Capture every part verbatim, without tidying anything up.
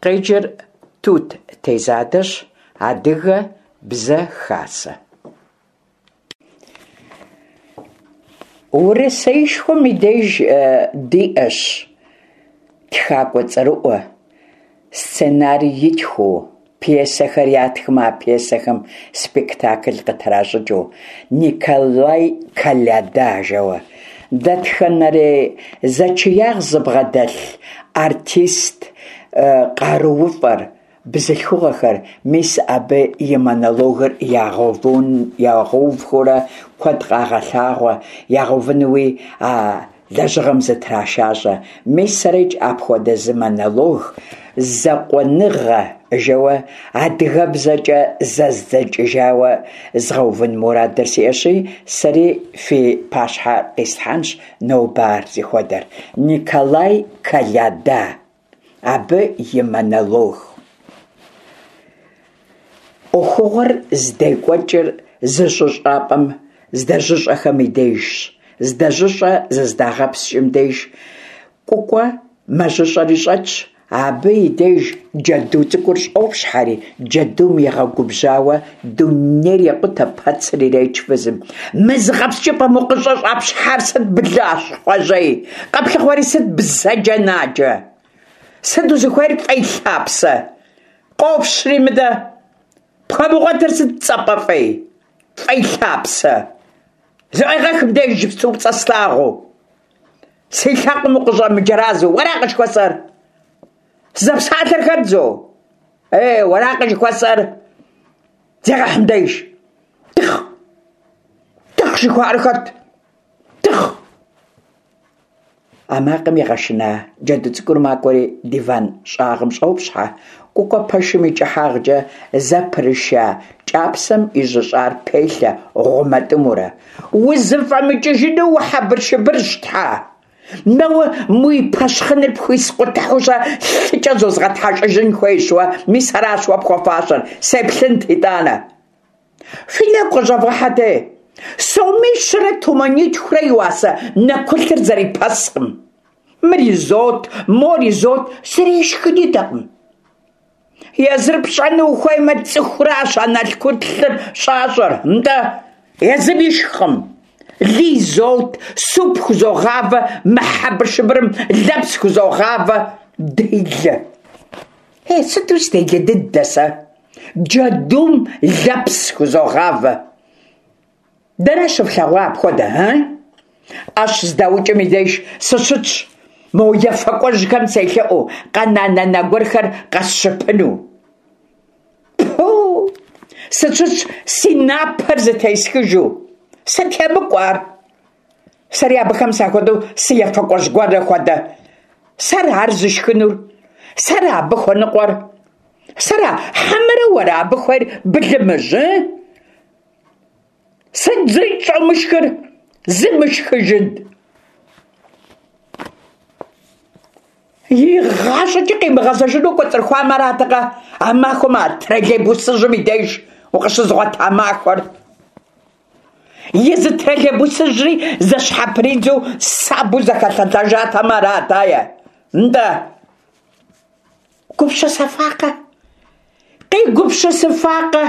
Къеджэр Тут Тезадэщ, Адыгэ Бзэ Хасэ. Урысеишхуэм и деж диӏэщ тхакӏуэ цӏэрыӏуэ, сценарий итхыу, пьесэхэр ятхмэ, а пьесэхэм спектакль къытращӏыкӏыу Николай Коляда жэуэ. Дэтхэнэрей зэчиягъ зыбгъэдэлъ артист къарууфӏэр, бзылъхугъэхэр, мис абы и монологыр ягъэувхурэ куэд къагъэлъагъуэ, ягъэувынуи а лэжьыгъэм зытрашащӏэ. Мис сэрикӏ апхуэдэ зы монолог «Закъуэныгъэ» жэуэ адыгэбзэкӏэ зэздзэкӏыжауэ згъэувын мурадыр сиӏэщи, сэри фи пащхьэ къислъхьэнщ нобэ ар зыхуэдэр. Николай Коляда. Абы и монолог. Ӏуэхугъуэр здекӏуэкӏыр зы жьыщӏапӏэм здэжьыщӏэхэм и дежщ. Здэжьыщӏэ зыздагъэпскӏым деж Кӏукӏуэ мэжьыщӏэри щӏэтщ. Абы и деж джэду цӏыкӏур щӏопщхьэри, джэдум игъэгубжьауэ дунейр екъутэ, пэцыр иреч фызым. Мы зыгъэпскӏыпӏэм укъыщӏыщӏэпщхьар сыт, блащхъуэжьей? Къэплъыхъуэри сыт, бзаджэнаджэ? Сыт узыхуейр, фӏей лъапсэ? Къопщри мыдэ. Пхуэмыгъуэтыр сыт, цӏапӏэ фӏей? Фӏей лъапсэ. Зыӏуегъэх мыбдеж иджыпсту пцӏэ слъагъуу. Си лъакъуэм укъыщӏэмыджэразэу, уэракъэ жыхуэсӏэр? Зэпсалъэр хэт зо? Ей, уэракъэ жыхуэсӏэр? Зегъэхь мыбдеж. Тыхъ! Тыхъ жыхуаӏэр хэт? Тыхъ! А макъым игъэшына джэду цӏыкӏур макӏуэри диван щӏагъым щӏопщхьэ. Кӏукӏуэ пэшым и кӏыхьагъкӏэ зэпрыша кӏапсэм ижьыщӏар пелъэ гъумэтӏымэурэ. Узыфӏэмыкӏыжыну ухьэбыршыбырщ, тхьэ! Мэуэ мы уи пэщхъыныр пхуискъутыхьу-щэ лъыкӏэ зозгъэтхьэщӏыжын хуейщ уэ, мис аращ уэ пхуэфащэр, сеплъынт итӏанэ. Фи нэгу къыщӏэвгъэхьэт, сомищэрэ тумэнитхурэ и уасэ нэкулъыр зэрипэскъым. Мыр изот, мор изот, зыри ишхын идэкъым. Езыр пщӏэну ухуеймэ, цӏыхуращ а налкъутлъыр щӏащӏэр, нтӏэ, езым ишхкъым. Лы изот, суп хузогъавэ, мы хьэбыршыбырым лэпс хузогъавэ. Делэ! Ей, сыту сыделэ дыдэ сэ! Джэдум лэпс хузогъавэ. Дэнэ щыфлъэгъуа апхуэдэ, ы? Ӏэщ здаукӏым и деж сыщытщ, мо ефэкӏуэжьхэм селъэӏуу, къэна нанэ гуэрхэр къэсщыпыну. Пу! Сыщытщ си напэр зытесхыжу. Сыт емыкӏу ар? Сэри абыхэм сахуэдэу сыефэкӏуэжь гуэрэ хуэдэ. Сэра ар зышхынур? Сэра абы хуэныкъуэр? Сэра хьэмэрэ уэра абы хуейр, былымыжь, ы? Сыт зырикӏ щӏомышхыр? Зымышхыжын! ИгъащӀэкӀи къимыгъэзэжыну кӀуэцӀрыхуам аратэкъэ а махуэм а троллейбусыжьым и деж укъыщызгъуэта махуэр? Езы троллейбусыжьри зэщхьэпридзэу сабэу зэхэлъэлъэжатэмэ арат, ае. Нтӏэ. Гупсысэфакъэ? Къигупсысыфакъэ?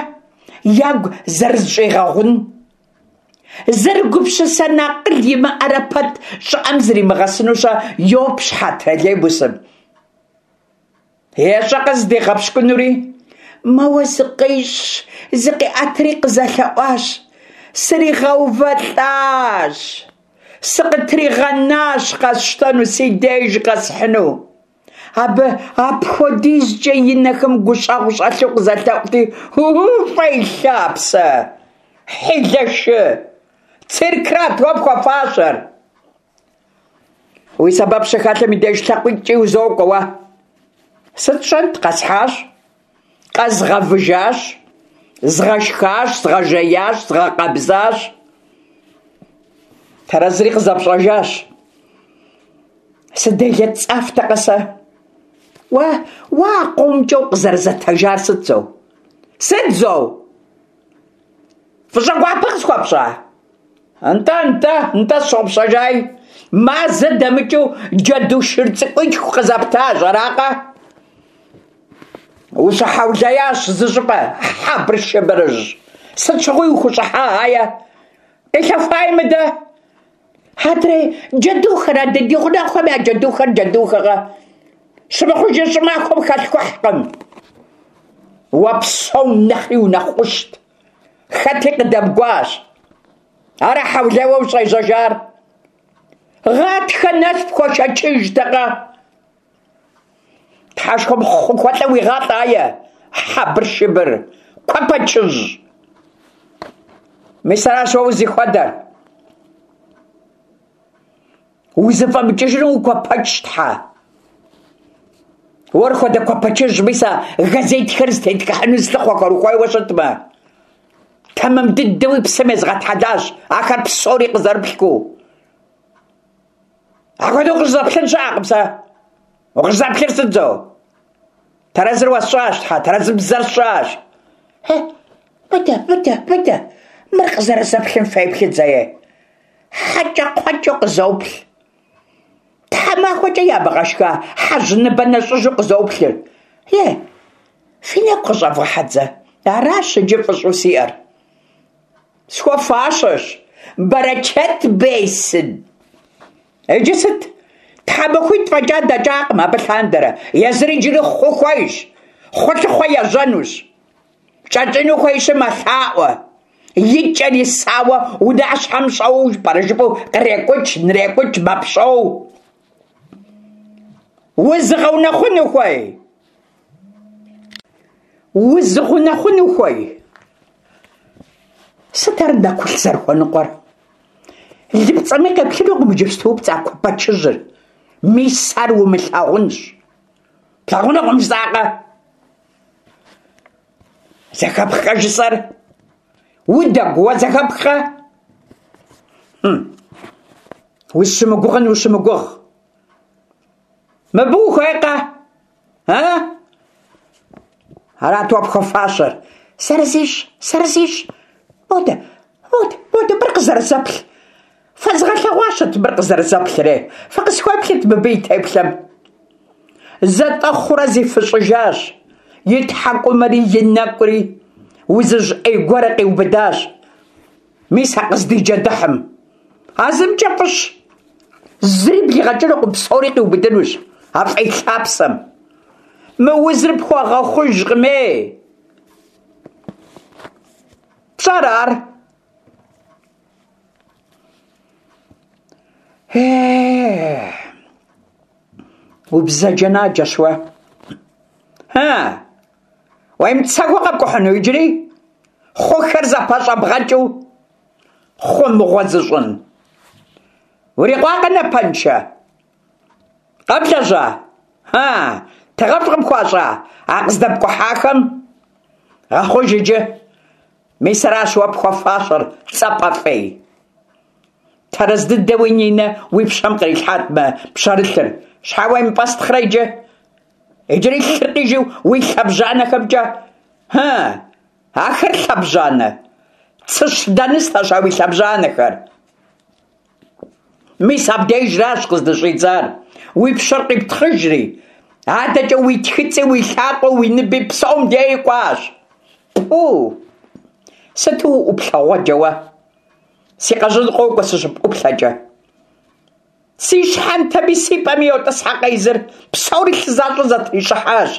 Ягу зэрызэщӏигъэгъун? Зэрыгупсысэн акъыл имыӏэрэ пэт щӏыӏэм зримыгъэсыну-щэ йопщхьэ троллейбусым. Ещӏэкъэ зыдигъэпщкӏунури? Мэуэ зыкъищӏщ, зыкъиӏэтри къызэлъэӏуащ. Сригъэувэлӏащ. Сыкъытригъэнащ къэсщтэну, си деж къэсхьыну. Абы апхуэдизкӏэ и нэхэм гущӏэгъу щӏэлъу къызэлъэӏути, фӏей лъапсэ! Хьилэшы! Циркрат уэ пхуэфащэр! Уи сэбэп щыхэлъым и деж лъакъуитӏкӏи узокӏуэ уэ. Сыт сщӏэнт, къэсхьащ, къэзгъэвыжащ, згъэшхащ, згъэжеящ, згъэкъэбзащ. Тэрэзри къызэпщӏэжащ. Сыделэ цӏафтэкъэ сэ? Уэ, уэ а къомкӏэ укъызэрызэтэжар сыт зо? Сыт зо? Фӏыщӏэ гуапэ къысхуэпщӏа? Нтӏэ, нтӏэ, нтӏэ, сщӏопщӏэжай. Мазэ дэмыкӏыу джэду шыр цӏыкӏуитху къызэптащ, аракъэ? Ущыхьэулеящ зыщӏыпӏэ, хьэбыршыбырыжь! Сыт щыгъуи ухущӏыхьа, ае? Къилъэхуаи мыдэ! Адрей джэдухэр, адрей ди гъунэгъухэм я джэдухэр джэдухэкъэ? Щымыхъужыр щӏымахуэм халъхухькъым. Уэ псом нэхъри унэхъ ӏущт. Хэти къыдэмыгуащ. Ара хьэулейуэ ущӏежьэжар? Гъатхэ нэс пхуэшэчыжтэкъэ? Тхьэшхуэм хъу хуэлӏэ уигъалӏэ, ае, хьэбыршыбыр, куэпэчыжь! Мис аращ уэ узихуэдэр. Узыфӏэмыкӏыжыну укуэпэчщ, тхьэ. Уэр хуэдэ куэпэчыжь, мис а газетхэр зытетхыхьыну зылъыхъуэхэр ухуейуэ щытмэ. Тэмэм дыдэуи псым езгъэтхьэлащ, ахэр псори къызэрыплъхыу. Апхуэдэу къыщӏызэплъын щыӏэкъым сэ. Укъыщӏызэплъыр сыт зо? Тэрэзыр уэсщӏащ, тхьэ, тэрэзыбзэр сщӏащ. Хе, мыдэ, мыдэ, мыдэ, мыр къызэрызэплъым феплъыт зэи. Хьэкӏэкхъуэкӏэу къызоплъ. Тхьэмахуэкӏэ ямыгъэшха хьэжь ныбэ нэщӏыжу къызоплъыр. Е, фи нэгу къыщӏэвгъэхьэт зэ. Аращ иджы фӏыщӏэу сиӏэр. Схуэфащэщ. Бэрэчэт бесын. Иджы сыт? Тхьэмахуитӏ фӏэкӏа дэкӏакъым абы лъандэрэ. Езыр иджыри хъу хуейщ. Хъулъыхъуэ ежьэнущ. Кӏэкӏыну хуейщи мэлъаӏуэ. И кӏэр исауэ унащхьэм щӏэуэу пӏэрэ жыпӏэу кърекӏукӏ, нрекӏукӏ, мэпщӏэу. Узыгъэунэхъуну хуей? Узыгъэунэхъуну хуей? Сыт ар нэкулъ зэрыхуэныкъуэр? Лыпцӏэми къеплъынукъым иджыпсту пцӏа куэпэчыжьыр. Мис ар умылъагъунщ. Плъагъунукъым жысӏакъэ? Зэхэпхкъэ жысӏэр? Удэгу, уэ зэхэпхкъэ? Хм. Узыщымыгугъын ущымыгугъ. Мыбы ухуейкъэ? А? Арат уэ пхуэфащэр. Зэрызищӏ, зэрызищӏ. Модэ, модэ, модэ, мыр къызэрызэплъ. Фэзгъэлъэгъуащэт мыр къызэрызэплъри. Фыкъысхуеплъыт мыбы и теплъэм. Зэтӏэхъурэ зифыщӏыжащ. И тхьэкӏумэри, и нэкӏури узыжь ӏей гуэрэ къиубыдащ. Мис а къыздиджэдыхьым. А зымкӏэ фӏыщ. Зыри блигъэкӏынукъым, псори къиубыдынущ. А фӏей лъапсэм. Мы узыр пхуэгъэхъужкъым, ей. Пщӏэрэ ар? Е, убзаджэнаджэщ уэ. Ха, уемыцэгъуэ къэпкӏухьыну иджыри? Хъухэр зэпэщӏэбгъэкӏыу, хъу мыгъуэ зыщӏын. Урикъуакъэ напэншэ? Къэблэжьа? Ха, тыгъэфӏ къыпхуащӏа а къыздэпкӏухьахэм? Гъэхъуж иджы. Мис аращ уэ пхуэфащэр, цӏапӏэ фӏей. Тэрэз дыдэуи Нинэ уи пщэм кърилъхьат мы пщэрылъыр. Щхьэ уемыпӏэстхърэ иджы? Иджыри лъыр къижу уи лъэбжьанэхэмкӏэ. Хьэ, ахэр лъэбжьанэ. Цыщ дэныстэщ а уи лъэбжьанэхэр. Мис абдежращ къыздыщӏидзар. Уи пщэр къиптхъыжри, адэкӏэ уи тхыцӏи, уи лъакъуэ, уи ныби псом деи кӏуащ. Пу! Сыту уӏуплъэгъуэджэ уэ? Си къэжьын къокӏуэ сыщыпӏуплъэкӏэ. Си щхьэнтэми си пӏэми йотӏысхьэ къезыр. Псори лъы защӏэу зэтрищӏыхьащ.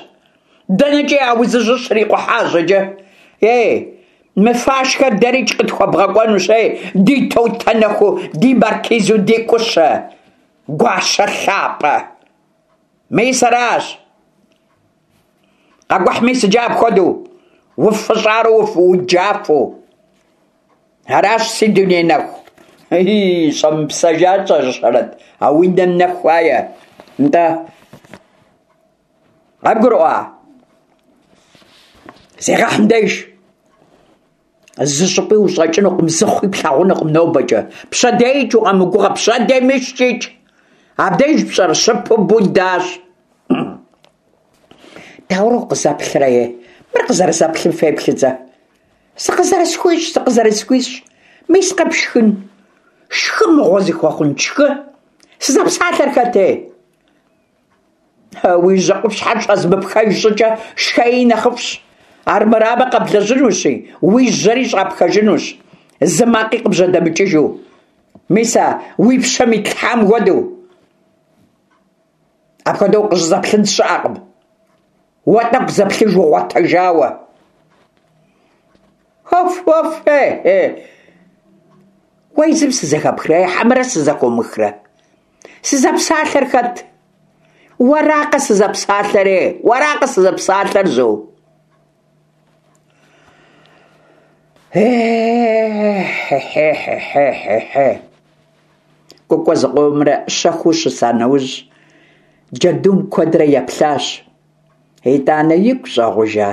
Дэнэкӏи а узыжьыр щрикъухьащ иджы. Ей, мы фашхэр дэрикӏ къытхуэбгъэкӏуэнущ, ей, ди Тотэнэху, ди маркизу, ди Кӏущэ, гуащэ лъапӏэ. Мис аращ. Къэкӏухь мис иджы апхуэдэу, уфыщӏарэ уджафэу. Аращ си дуней нэху. И, щӏэмыпсэжа щӏэщэрэт, а уи нэм нэху ае. Нтӏэ, къэбгурыӏуа? Зегъэхьым деж. Зы щӏыпӏи ущӏэкӏынукъым, зы хъуи плъагъунукъым нобэкӏэ. Пщэдейкӏ укъэмыгугъэ, пщэдеймыщкӏикӏ. Абдеж пщӏэр щыпыбудащ. Дауэрэ укъызэплърэ, е? Мыр къызэрызэплъым феплъыт зэ. Сыкъызэрысхуищӏ, сыкъызэрысхуищӏ. Мис къэпшхын. Шхы мыгъуэ зыхуэхъун, шхы. Сызэпсалъэр хэт, ей? Уи жьэ къупщхьэр щӏэзмыпхэж щӏыкӏэ шхэи нэхъыфӏщ. Армырамэ къэблэжьынущи, уи жьэри щӏапхэжынущ, зы макъи къыбжьэдэмыкӏыжу. Мис а уи пщэм итлъхьам хуэдэу. Апхуэдэу къыщӏызэплъын щыӏэкъым. Уэ тӏэкӏу зэплъыж угъуэтэжауэ. Оф, оф, е, е. Уэ езым сызэхэпхрэ, хьэмэрэ сызэхомыхрэ? Сызэпсалъэр хэт? Уэракъэ сызэпсалъэр, е? Уэракъэ сызэпсалъэр, зо? Е-хе-хе-хе-хе-хе. Кӏукӏуэ зыкъомрэ щэхуу щыса нэужь, джэдум куэдрэ еплъащ. Итӏанэ игу щӏэгъужа,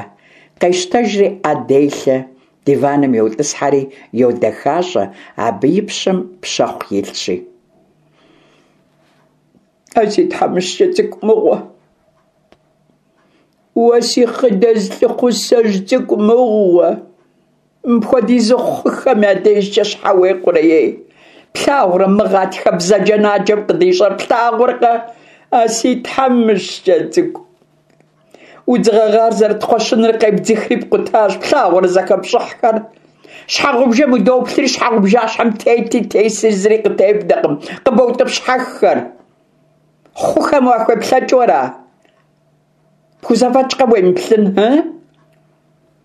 къещтэжри ӏэ делъэ, диваным йотӏысхьэри йодэхащӏэ, абы и пщэм пщэхъу илъщи. А си тхьэмыщкӏэ цӏыкӏу мыгъуэ! Уэ си хъыдэз лӏыхъусэжь цӏыкӏу мыгъуэ! Мыпхуэдизу хъухэм я дежкӏэ щхьэ уекъурэ, ей? Плъагъурэ мы гъатхэ бзаджэнаджэм къыдищӏэр, плъагъуркъэ? А си тхьэмыщкӏэ цӏыкӏу! Удз гъэгъар зэрыт кхъуэщыныр къебдзыхри пкъутащ, плъагъурэ зэхэпщӏыхьхэр? Щхьэгъубжэм удоплъри, щхьэгъубжащхьэм тети теси зыри къытебнэкъым, къыбоутӏыпщхьэххэр. Хъухэм уахуеплъэкӏыу ара? Пхузэфӏэкӏкъэ уемыплъын, ы?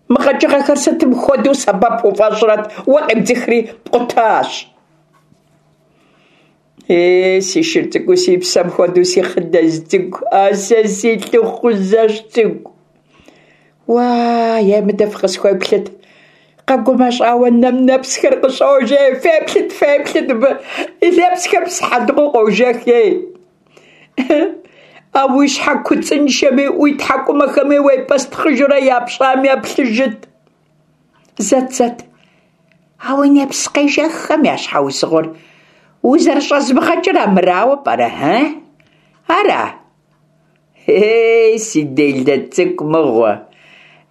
Мы къэкӏыгъэхэр сытым хуэдэу сэбэп уфӏэщӏрэт, уэ къебдзыхри пкъутащ. Е, си шыр цӏыкӏуу, си псэм хуэдэу, си хъыдэз цӏыкӏу, а сэ си лӏыхъусэжь цӏыкӏу. Уа, е мыдэ фыкъысхуеплъыт. Къэгумэщӏауэ нэм нэпсхэр къыщӏож, ей, феплъыт, феплъыт мыбы. И нэпсхэр псыхьэлыгъуэу къожэх, ей. А уи щхьэ куцӏыншэми, уи тхьэкӏумэхэми уепӏэстхъыжурэ япщӏам еплъыжыт. Зэт, зэт. А уи нэпс къежэххэм я щхьэусыгъуэр узэрыщӏэзмыгъэкӏыр амырауэ пӏэрэ, ы? Ара? Ей, си делэ цӏыкӏу мыгъуэ!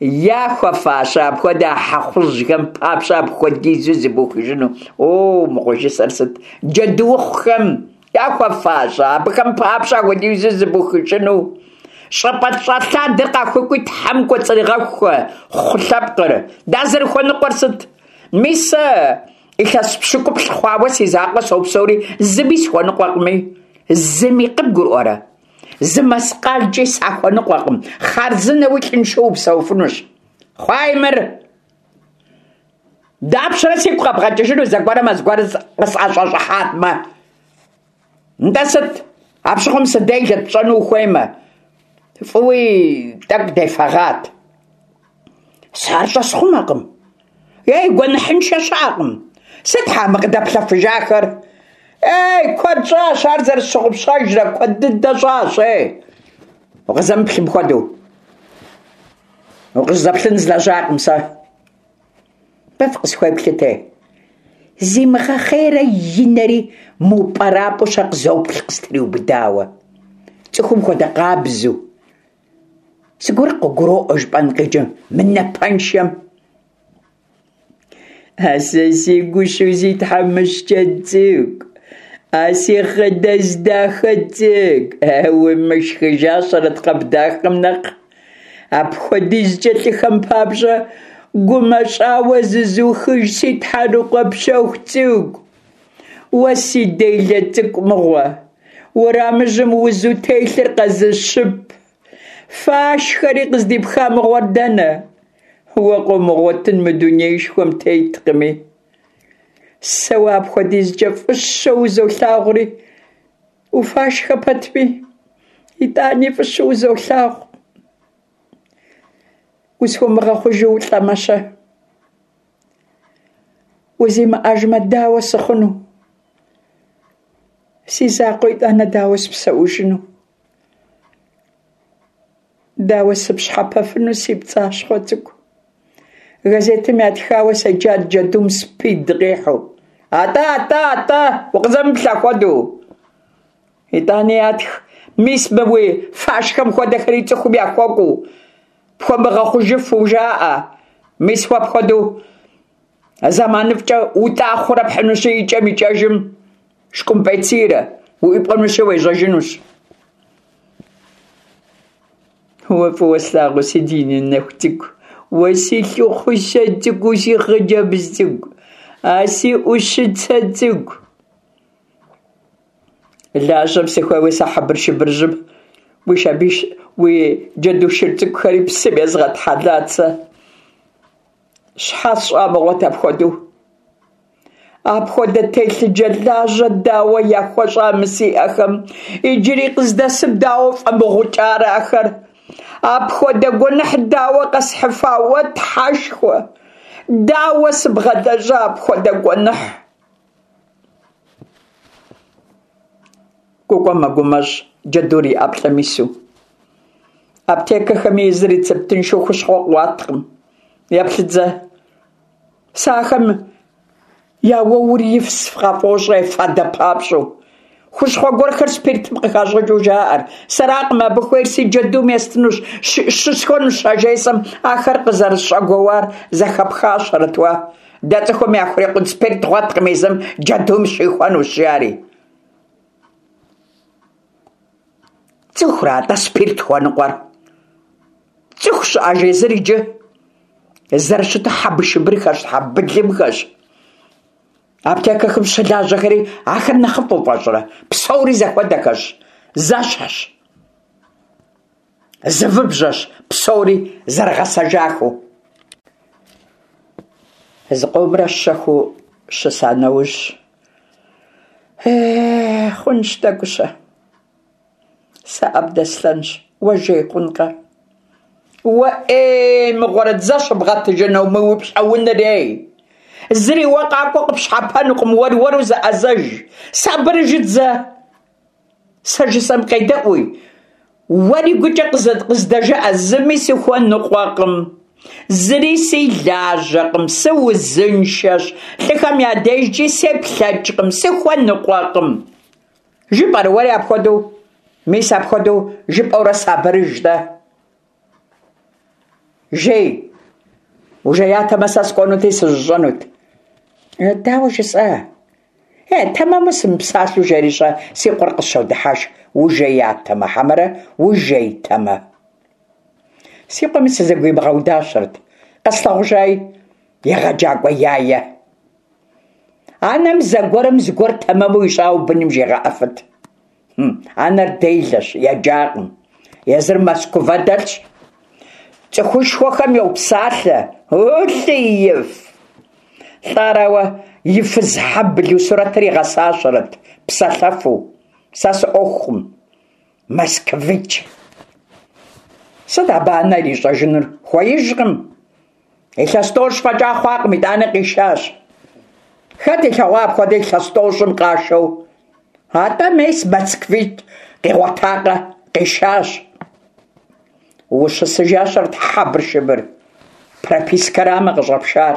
Яхуэфащэ апхуэдэ хьэхъужьхэм папщӏэ апхуэдизу зыбухыжыну. О, мыгъуэ, жысӏэр сыт? Джэдуухъухэм яхуэфащэ абыхэм папщӏэ апхуэдизу зыбухыжыну. Щӏыпӏэ щӏэлъадэр къахуэкӏуи тхьэм кӏуэцӏригъэхуэ хъу лъэпкъыр. Дазэрыхуэныкъуэр сыт? Мис сэ илъэс пщыкӏуплӏ хъуауэ си закъуэ сопсэури, зыми схуэныкъуэкъыми. Зыми къыбгурыӏуэрэ? Зы мэскъалкӏи сахуэныкъуэкъым. Хъарзынэуи лӏыншэу упсэуфынущ. Хъуай мыр! Дапщэрэ сигу къэбгъэкӏыжыну зэгуэрым зыгуэр къысӏэщӏэщӏыхьатмэ? Нтӏэ сыт? Апщыгъуэм сыделэт пщӏэну ухуеймэ. Фӏыуи тӏэкӏу дефэгъат. Сэ ар щӏэсхъумэкъым. Ей, гуэныхьыншэ щыӏэкъым. Сыт хьа мы къыдэплъэфыжахэр? Ей, куэд щӏащ, ар зэрысщыгъупщэжрэ, куэд дыдэ щӏащ, ей. Укъызэмыплъым хуэдэу. Укъызэплъын злэжьакъым сэ. Бэ фыкъысхуеплъыт, ей. Зимыгъэхъейрэ и нэри мыупӏэрапӏэу щэ къызоплъ къыстриубыдауэ. Цӏыхум хуэдэ къабзэу. Зыгуэр къыгуроӏуэ жыпӏэн къикӏым, мы напэншэм. А сэ си гущэу си тхьэмыщкӏэ цӏыкӏу, а си хъыдэз дахэ цӏыкӏу, уимышхыжащэрэт къэбдахэм нэхъ. Апхуэдизкӏэ лӏыхэм папщӏэ гумэщӏауэ зызухыж си тхьэрыкъуэ пщэху цӏыкӏу. Уэ си делэ цӏыкӏу мыгъуэ, уэрамыжьым узу телъыр къэзыщып. Фашхэри къыздипха мыгъуэр дэнэ? Уэ къомыгъуэтын мы дунеишхуэм теткъыми. Сэ уэ апхуэдизкӏэ фӏыщэу узолъагъури, уфашхэ пэтми, итӏани фӏыщэу узолъагъу. Усхуэмыгъэхъужу улӏэмэ-щэ? Узимыӏэжмэ, дауэ сыхъуну? Си закъуэ итӏанэ дауэ сыпсэужыну? Дауэ сыпщхьэпэфыну си пцӏащхъуэ цӏыкӏу? Газетым ятхауэ седжат джэдум спид къихьу. Атӏэ, атӏэ, атӏэ, укъызэмыплъ хуэдэу. Итӏани ятх, мис мы уи фашхэм хуэдэхэри цӏыхум яхуэкӏуэу, пхуэмыгъэхъужыфу жаӏэ. Мис уэ апхуэдэу зэманыфӏкӏэ утӏахъурэ пхьынущи, икӏэм икӏэжым шкӏумпӏецийрэ уӏуипӏэнущи уежьэжынущ. Уэ фӏыуэ слъагъуу си Динэ нэху цӏыкӏу, уэ си лъыхъущэ цӏыкӏуу си хъыджэбз цӏыкӏу, а си ӏущыцэ цӏыкӏу. Лажьэм сыхуейуэ сэ хьэбыршыбырыжьым уи шабиш, уи джэду шыр цӏыкӏухэри псым езгъэтхьэлат сэ. Щхьэ сщӏа мыгъуэт апхуэдэу? Апхуэдэ телъыджэ лажьэ дауэ яхуэщӏа мы си ӏэхэм? Иджыри къыздэсым дауэ фӏэмыгъукӏарэ ахэр? Апхуэдэ гуэныхь дауэ къэсхьыфа уэ, Тхьэшхуэ? Дауэ сыбгъэлэжьа апхуэдэ гуэныхь? Кӏукӏуэ мэгумэщӏ джэдур и ӏэплӏэм ису. Аптекэхэми езыр рецептыншэу хущхъуэ къыуаткъым. Еплъыт зэ. Сэ ахэм я уэур ифс къафӏощӏэ фадэ папщӏэу. Хущхъуэ гуэрхэр спиртым къыхащӏыкӏыу жаӏэр. Сэракъым абы хуейр, си джэдум естынущ, щысхуэнущ а жесӏэм ахэр къызэрысщӏэгуэуар зэхэпхащэрэт уэ. Дэ цӏыхум яхурикъун спирт дгъуэткъым, езым джэдум щихуэнущ, жари. Цӏыхура-тӏэ спирт хуэныкъуэр? Цӏыху щыӏэж езыр иджы? Зэрыщыту хьэбышыбырхэщ, хьэбылымхэщ. Аптекэхэм щылажьэхэри ахэр нэхъыфӏу фӏэщӏрэ? Псори зэхуэдэхэщ, зэщхьщ. Зы выбжьэщ псори зэрыгъэсэжахэу. Зыкъомрэ щэхуу щыса нэужь, Э, хъунщ тӏэкӏущэ. Сэ ӏэ бдэслъэнщ, уэ жей хъункъэ? Уэ ӏей мыгъуэрэ дзэ щыбгъэтыжыну мы уи пщӏэунэр, ей! Зыри уэ къакӏуэ къыпщхьэпэнукъым, уэр-уэру зэӏэзэж. Сабырыжыт зэ. Сэ жысӏэм къедэӏуи, уэри гукӏэ къыздэжыӏэ, зыми сыхуэныкъуэкъым. Зыри си лажьэкъым, сыузыншэщ, лӏыхэм я дежкӏи сеплъэкӏкъым, сыхуэныкъуэкъым. Жыпӏэрэ уэри апхуэдэу? Мис апхуэдэу жыпӏэурэ сабырыж-тӏэ. Жей. Ужеятэмэ, сэ скӏуэнути сыжьыщӏэнут. Дауэ жысӏа? Е, тэмэму сымыпсалъэу жери-щэ, си къуэр къысщодыхьэшх. Ужеятэмэ, хьэмэрэ ужейтэмэ? Си къуэми сызэгуимыгъэудащэрэт. Къэслъагъужаи, егъэджакӏуэ яе. Анэм зэгуэрым зыгуэр тэмэму ищӏауэ быным жегъэӏэфыт. Анэр делэщ, еджакъым. Езыр Москва дэлъщ. Цӏыхушхуэхэм йопсалъэ. Улӏыиф! Лӏарауэ и фыз хьэбылу сурэтыр игъэсащэрэт, псэлъэфу. Сэ сыӏуэхукъым. Москвич. Сыт абы анэр ищӏэжынур? Хуеижкъым. Илъэс тӏощӏ фӏэкӏа хъуакъым, итӏанэ къишащ. Хэт илъэгъуа апхуэдэ илъэс тӏощӏым къашэу? Атӏэ мес москвич къигъуэтакъэ, къишащ. Ущысыжащэрэт хьэбыршыбыр. Пропискэрамэ къыщӏэпшар.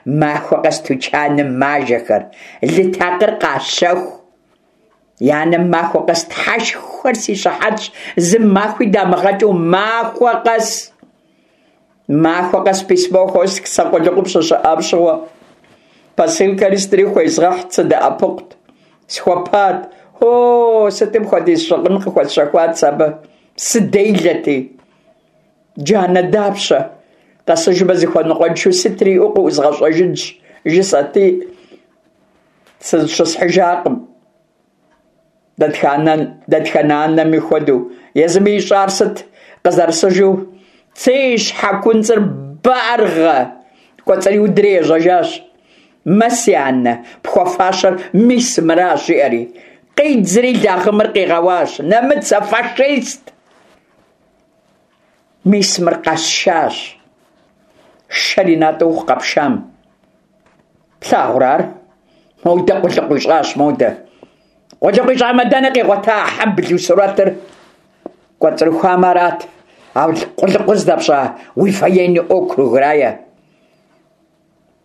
Махуэ къэс тучаным мажэхэр, лы такъыр къащэху. И анэм махуэ къэс Тхьэшхуэр си щыхьэтщ, зы махуи дамыгъэкӏыу махуэ къэс. Махуэ къэс письмо хуэстх сэ къулыкъум щыщыӏам щыгъуэ. Посылкэри сытри хуезгъэхьт, сыдэӏэпыкъут. Схуэпат. О, сытым хуэдиз щыгъын къыхуэсщэхуат сэ абы. Сыделэти. Джанэ дапщэ. Къэсыжмэ зыхуэныкъуэншэу сытри иӏэу къыӏузгъэщӏэжынщ, жысӏэти, сызыщысхьыжакъым. Дэтхэнэ анэми хуэдэу, езыми ищӏар сыт къызэрысыжу? Цей щхьэкунцӏыр баргъэ! Кӏуэцӏриудри ежьэжащ. Мэ, си анэ, пхуэфащэр мис мыращ, жиӏэри. Къидзри лагъымыр къигъэуащ. Нэмыцэ фашист! Мис мыр къэсшащ. Шэр и натӏэ ухъу къэпшам. Плъагъурэ ар? Модэ къулыкъу ищӏащ, модэ. Къулыкъу ищӏамэ, дэнэ къигъуэта хьэбылу сурэтыр? Кӏуэцӏрыхуамэ арат. А къулыкъур здэпщӏа уи военный округрае.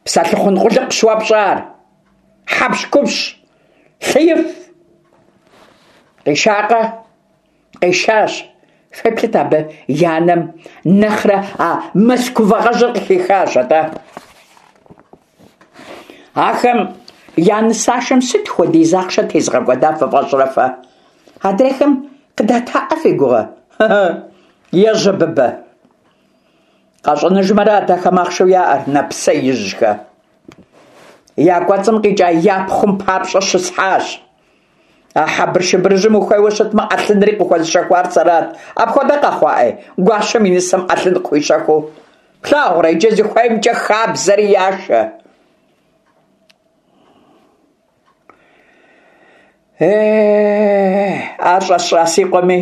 Псэлъыхъун къулыкъущ уэ пщӏар. Хьэпщхупщ, лъыиф. Къишакъэ? Къишащ. Феплъыт абы и анэм нэхърэ а Москвагъэжьыр къыхихащ атӏэ. Ахэм я нысашэм сыт хуэдиз ахъшэ тезгъэкӏуэда фыфӏэщӏрэ фэ? Адрейхэм къыдатаӏэ фи гугъэ? Ежьэ, Быбэ! Къащӏэныжмэрат ахэм ахъшэу яӏэр, нэпсеижьхэ. Я кӏуэцӏым къикӏа я пхъум папщӏэ щысхьащ. А хьэбыршыбырыжьым ухуейуэ щытмэ, ӏэлъынри къыхуэзыщэхуар сэрат. Апхуэдэ къэхъуаӏей, гуащэм и нысэм ӏэлъын къыхуищэхуу. Плъагъурэ, иджы зыхуеймкӏэ хабзэри яшэ. Е ар щӏэсщӏа си къуэми,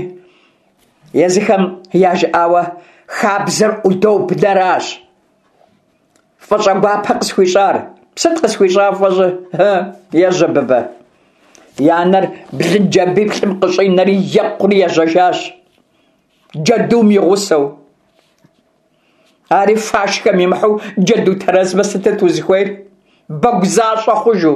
езыхэм яжыӏауэ хабзэр удобнэращ. Фӏыщӏэ гуапэ къысхуищӏар. Сыт къысхуищӏа фӏыщӏэ? Ежьэ, Быбэ. И анэр блынджабиплӏым къыщӏинэри екъури ежьэжащ. Джэдум и гъусэу. Ари фашхэм имыхьу джэду тэрэзмэ сытыт узыхуейр? Бэгу защӏэ хъужу.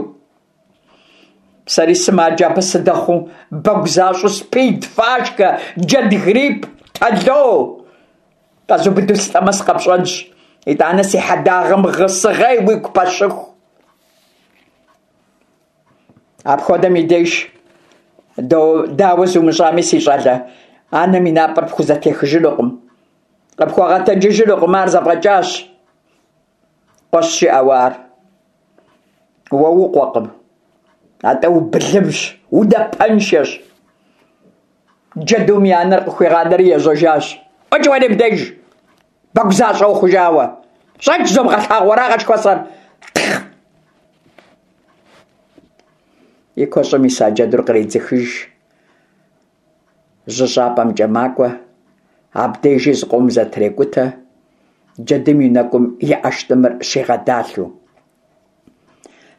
Сэри сымаджэ абы сыдэхъуу, бэгу защӏэу спид, фашхэ, джэд грипп, тэло. Къэзубыду сылӏэмэ сыкъэпщӏэнщ. Итӏанэ си хьэдагъэм гъысыгъей уигу пэщыху. Апхуэдэм и деж дауэ зумыщӏами, си щӏалэ, анэм и напӏэр пхузэтехыжынукъым. Къыпхуэгъэтэджыжынукъым, ар зэфӏэкӏащ. Къуэщ жиӏэуэ ар. Уэ укъуэкъым. Атӏэ убылымщ, унапэншэщ. Джэдум и анэр къыхуигъанэри ежьэжащ. ӏукӏ уэри мыбдеж, бэгу защӏэ ухъужауэ. Щӏэкӏ зомыгъэлъагъуэрагъэ жыхуэсӏэр. И куэщӏым иса джэдур къредзыхыж. Жьыщӏапӏэмкӏэ макӏуэ, абдежи зыкъом зэтрекӏутэ, джэдум и нэкӏум и ӏэштӏымыр щигъэдалъэу.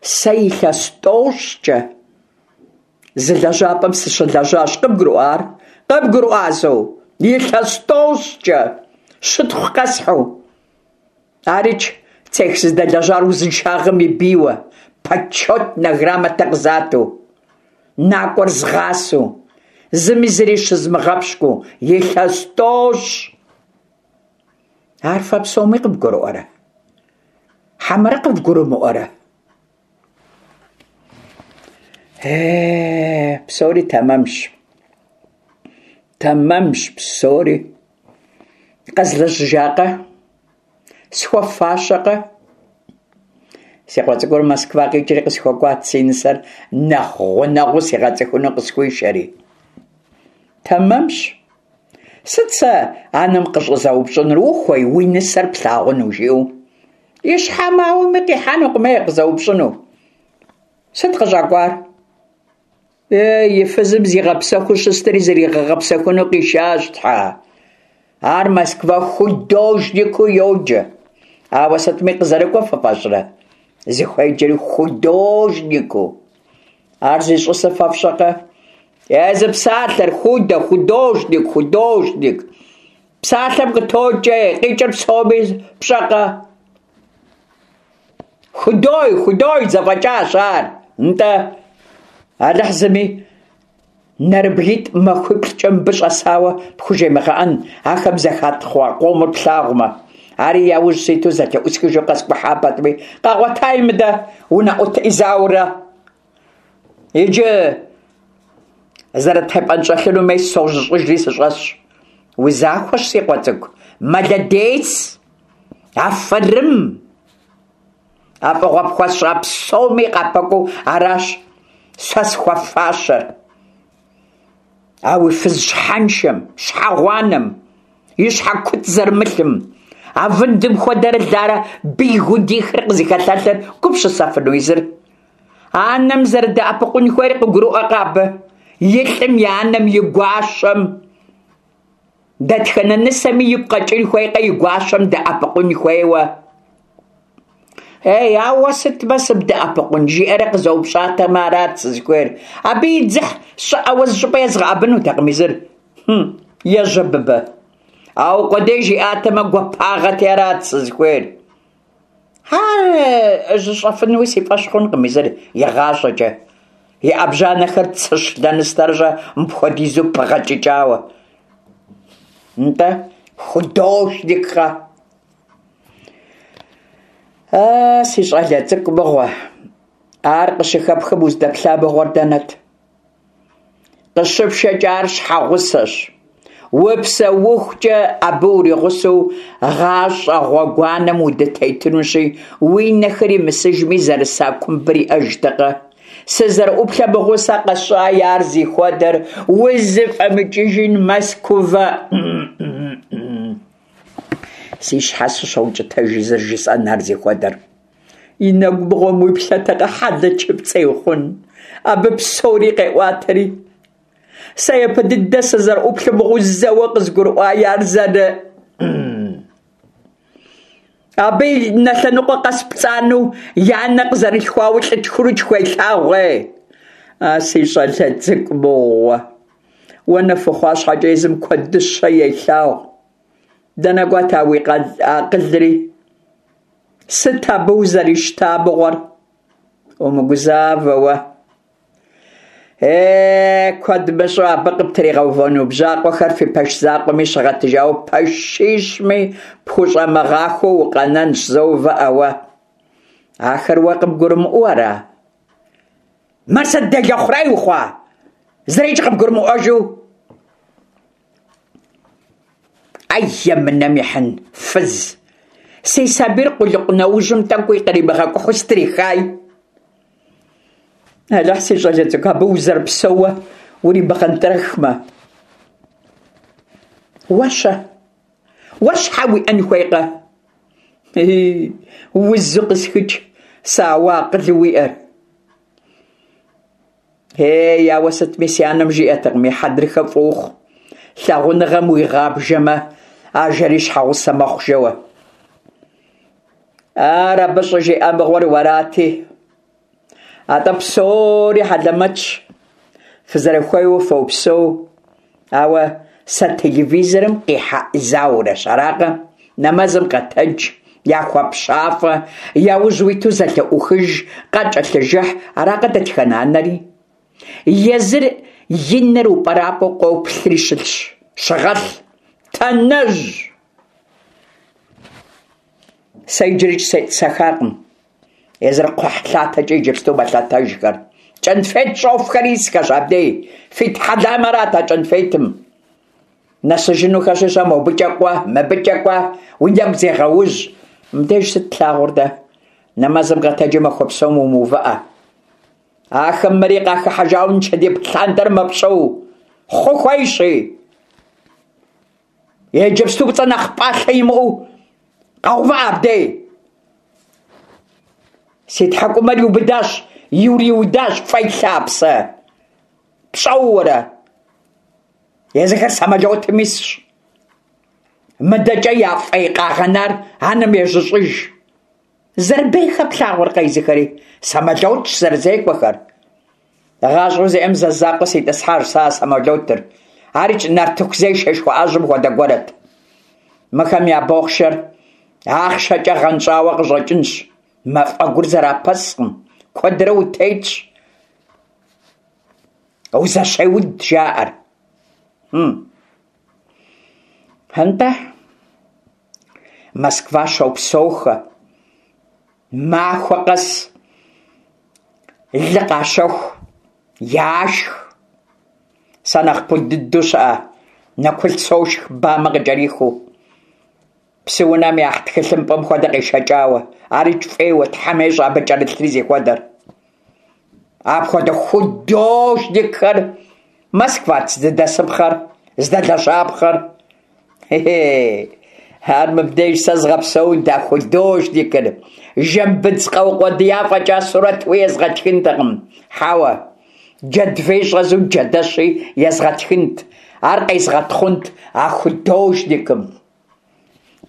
Сэ илъэс тӏощӏкӏэ зы лэжьапӏэм сыщылэжьащ. Къыбгурыӏуа ар? Къыбгурыӏуа, зо? Илъэс тӏощӏкӏэ щытхъу къэсхьу. Арикӏ цех сыздэлэжьар узыншагъэм и бийуэ, почетнэ грамотэ къызату, накӏуэр згъасэу, зыми зыри щызмыгъэпщкӏуу, илъэс тӏощӏ. Ар фэ псоми къывгурыӏуэрэ? Хьэмэрэ къывгурымыӏуэрэ? Е, псори тэмэмщ. Тэмэмщ псори. Къэзлэжьыжакъэ? Схуэфащэкъэ? Си къуэ цӏыкӏур Москва къикӏри къысхуэкӏуат, си нысэр нэхъ гъунэгъуу сигъэцӏыхуну къысхуишэри. Тэмэмщ. Сыт сэ анэм къыщӏызэупщӏынур, ухуей уи нысэр плъагъуну, жиӏэу? И щхьэм ауэми къихьэнукъым, ей, къызэупщӏыну. Сыт къыщӏэкӏуар? Е, и фызым зигъэпсэхуу щыстри зригъэгъэпсэхуну къишащ, тхьэ. Ар Москва художникыу йоджэ. Ауэ сытми къызэрыкӏуэ фыфӏэщӏрэ? Зыхуеджэри художникыу. Ар зищӏысыр фэ фщӏэкъэ? Езы псалъэр худэ, художник, художник. Псалъэм къытокӏэ, къикӏыр псоми пщӏэкъэ? Худой, худой зэфӏэкӏащ ар. Нтӏэ, Алыхь зыми нэрыбгитӏ махуиплӏкӏэ мыбы щӏэсауэ пхужемыгъэӏэн, ахэм зэхатхъуа къомыр плъагъумэ. Ари яужь ситу зэлъыӏусхыжу къэскӏухьа пэтми, къагъуэтаи мыдэ унэӏут Изаурэ. Иджы зэрытепӏэнщӏэлъыну мес сожьыщӏыжри сыщӏэсщ. Узахуэщ, си къуэ цӏыкӏу. Молодец! Афэрым! А фӏыгъуэ пхуэсщӏа псоми къапэкӏуэу аращ сэ схуэфащэр. А уи фыз щхьэншэм, щхьэгъуанэм, и щхьэ куцӏ зэрымылъым, а вындым хуэдэрэ ларэ бийгудихыр къызыхэлъэлъыр гупсысэфыну езыр. Анэм зэрыдэӏэпыкъун хуейр къыгурыӏуэкъэ абы? И лӏым и анэм и гуащэм. Дэтхэнэ нысэми игу къэкӏын хуейкъэ и гуащэм дэӏэпыкъун хуейуэ. Ей, ауэ сытмэ сыбдэӏэпыкъун, жиӏэрэ къызэупщӏатэмэ арат сызыхуейр. Абы и дзыхь щӏыӏэуэ зыщӏыпӏэ езгъэӏэбынутэкъым езыр. Хм, ежьэ, Быбэ. Ауэ къудей жиӏатэмэ гуапагъэти арат сызыхуейр. Ар жьыщӏэфынуи си фӏэщ хъункъым езыр игъащӏэкӏэ. И ӏэбжьанэхэр цыщ лэныстэрыщӏэ мыпхуэдизу пыгъэкӏыкӏауэ. Нтӏэ, художниккъэ? А, си щӏалэ цӏыкӏу мыгъуэ, ар къыщыхэпхым уздэплъа мыгъуэр дэнэт? Къыщыпшэкӏэ ар щхьэгъусэщ. Упсэухукӏэ абы уригъусэу гъащӏэ гъуэгуанэм удытетынущи, уи нэхэр имысыжми, зэрыса кумбыр иӏэжтэкъэ? Сызэрыӏуплъэ мыгъуэу сэ къэсщӏаи ар зихуэдэр, узыфӏэмыкӏыжын Мэзкуувэ. Си щхьэ сыщоукӏытэж зэрыжысӏэн ар зихуэдэр. И нэгу мыгъуэм уиплъэтэкъэ, хьэлэчыпцӏей хъун, абы псори къеӏуатэри. Сэ япэ дыдэ сызэрыӏуплъэ мыгъуэу зэуэ къызгурыӏуаи ар зэры... Абы и нэ лъэныкъуэ къэс пцӏанэу и анэ къызэрылъхуауэ лӏы тхурытху елъагъу, ей. А си щӏалэ цӏыкӏу мыгъуэ, уэ нэф ухъуа щхьэкӏэ езым куэдыщэ елъагъу. Дэнэ кӏуэт а уи акъылри? Сыт абы узэрищта мыгъуэр? Умыгузавэ уэ. Е, куэд мыщӏэу абы къыптригъэувэну бжьакъуэхэр фи пэш закъуэми щыгъэтыжауэ пэшищми пхущӏэмыгъахуэу укъэнэнщ, зэ увыӏэ уэ. Ахэр уэ къыбгурымыӏуэу ара? Мыр сыт делэ хъурей ухъуа? Зырикӏ къыбгурымыӏуэжу? Ай, емынэм ихьын, фыз! Си сабийр къулыкъу нэужьым тӏэкӏуи къримыгъэкӏухьу стрихай. Алыхь, си щӏалэ цӏыкӏу, абы узэрыпсэууэ уримыгъэнтӏрэхмэ. Уэ-щэ? Уэ щхьэ уиӏэн хуейкъэ? Ей, узу къысхыкӏ, сэ ауэ акъылу уиӏэр. Ей, ауэ сытми си анэм жиӏэтэкъым, и хьэдрыхэ фӏы ухъу. Лъагъуныгъэм уигъабжэмэ, ажэри щхьэгъусэ мэхъу жэуэ. Ар абы щӏыжиӏа мыгъуэр уэрати. Атӏэ псори хьэлэмэтщ, фызэрыхуейуэ фопсэу, ауэ сэ телевизорым къихьэ Заурэщ, аракъэ? Нэмэзым къэтэдж, яхуэпщафӏэ, я ужь уиту зэлъыӏухыж, къакӏэлъыжыхь, аракъэ дэтхэнэ анэри? Езыр и нэр упӏэрапӏэу къоплъри щылъщ. Щыгъэлъ, танэжь! Сэ иджырикӏ сетӏысэхакъым. Езыр кхъухьлъатэкӏэ иджыпсту мэлъэтэжхэр. Кӏэнфет щӏофхэри исхэщ абдей. Фи тхьэлам арат а кӏэнфетым. Нэсыжынухэщи щэ, мобыкӏэ кӏуэ, мыбыкӏэ кӏуэ, уи нэгу зегъэужь. Мыбдеж сыт тлъагъур дэ? Нэмэзым къэтэджи махуэ псом умыувыӏэ. Ахэм мыри къахыхьэжауэ нычэдиб лъандэр мэпщӏэу. Хъу хуейщи. Иджыпсту пцӏэ нэхъ пӏалъэ имыӏэу къэувыӏэ абдей. Си тхьэкӏумэр иубыдащ, ириудащ фӏей лъапсэ. Пщӏэуэрэ. Езыхэр самолетым исщ. Мыдэкӏэ я фӏей къагъэнар анэм ежьыщӏыж. Зэрыбейхэ плъагъуркъэ езыхэри? Самолетщ зэрызекӏуэхэр. Гъащӏэу зиӏэм зэ закъуэ ситӏысхьащ сэ а самолетыр. Арикӏ нартыху зешэ жыхуаӏэжьым хуэдэ гуэрэт. Мыхэм я бохъшэр ахъшэкӏэ гъэнщӏауэ къыщӏэкӏынщ. Мафӏэгур зэрапэскъым, куэдрэ утетщ. Узэщеуд жаӏэр. Хм. Нтӏэ, Москва щопсэухэ. Махуэ къэс лы къащэху, яшх. Сэ нэхъ пуд дыдэу щыӏэ нэкулъ сошх бамэ къыкӏэрихыу. Псыунэм яхь тхылъымпӏэм хуэдэ къешэкӏауэ. Арикӏ фӏейуэ, Тхьэм ещӏэ абы кӏэрылъри зихуэдэр. Апхуэдэ художникхэр Москват зыдэсыпхъэр, здэлэжьапхъэр. Хе-хе, ар мыбдеж сэ згъэпсэунт а художникыр. Жэмбыдз къэукъуэдия фӏэкӏа сурэтуи езгъэтхынтэкъым. Хьэуэ, джэдвей щӏэзу джэдэщи езгъэтхынт. Ар къезгъэтхъунт а художникым.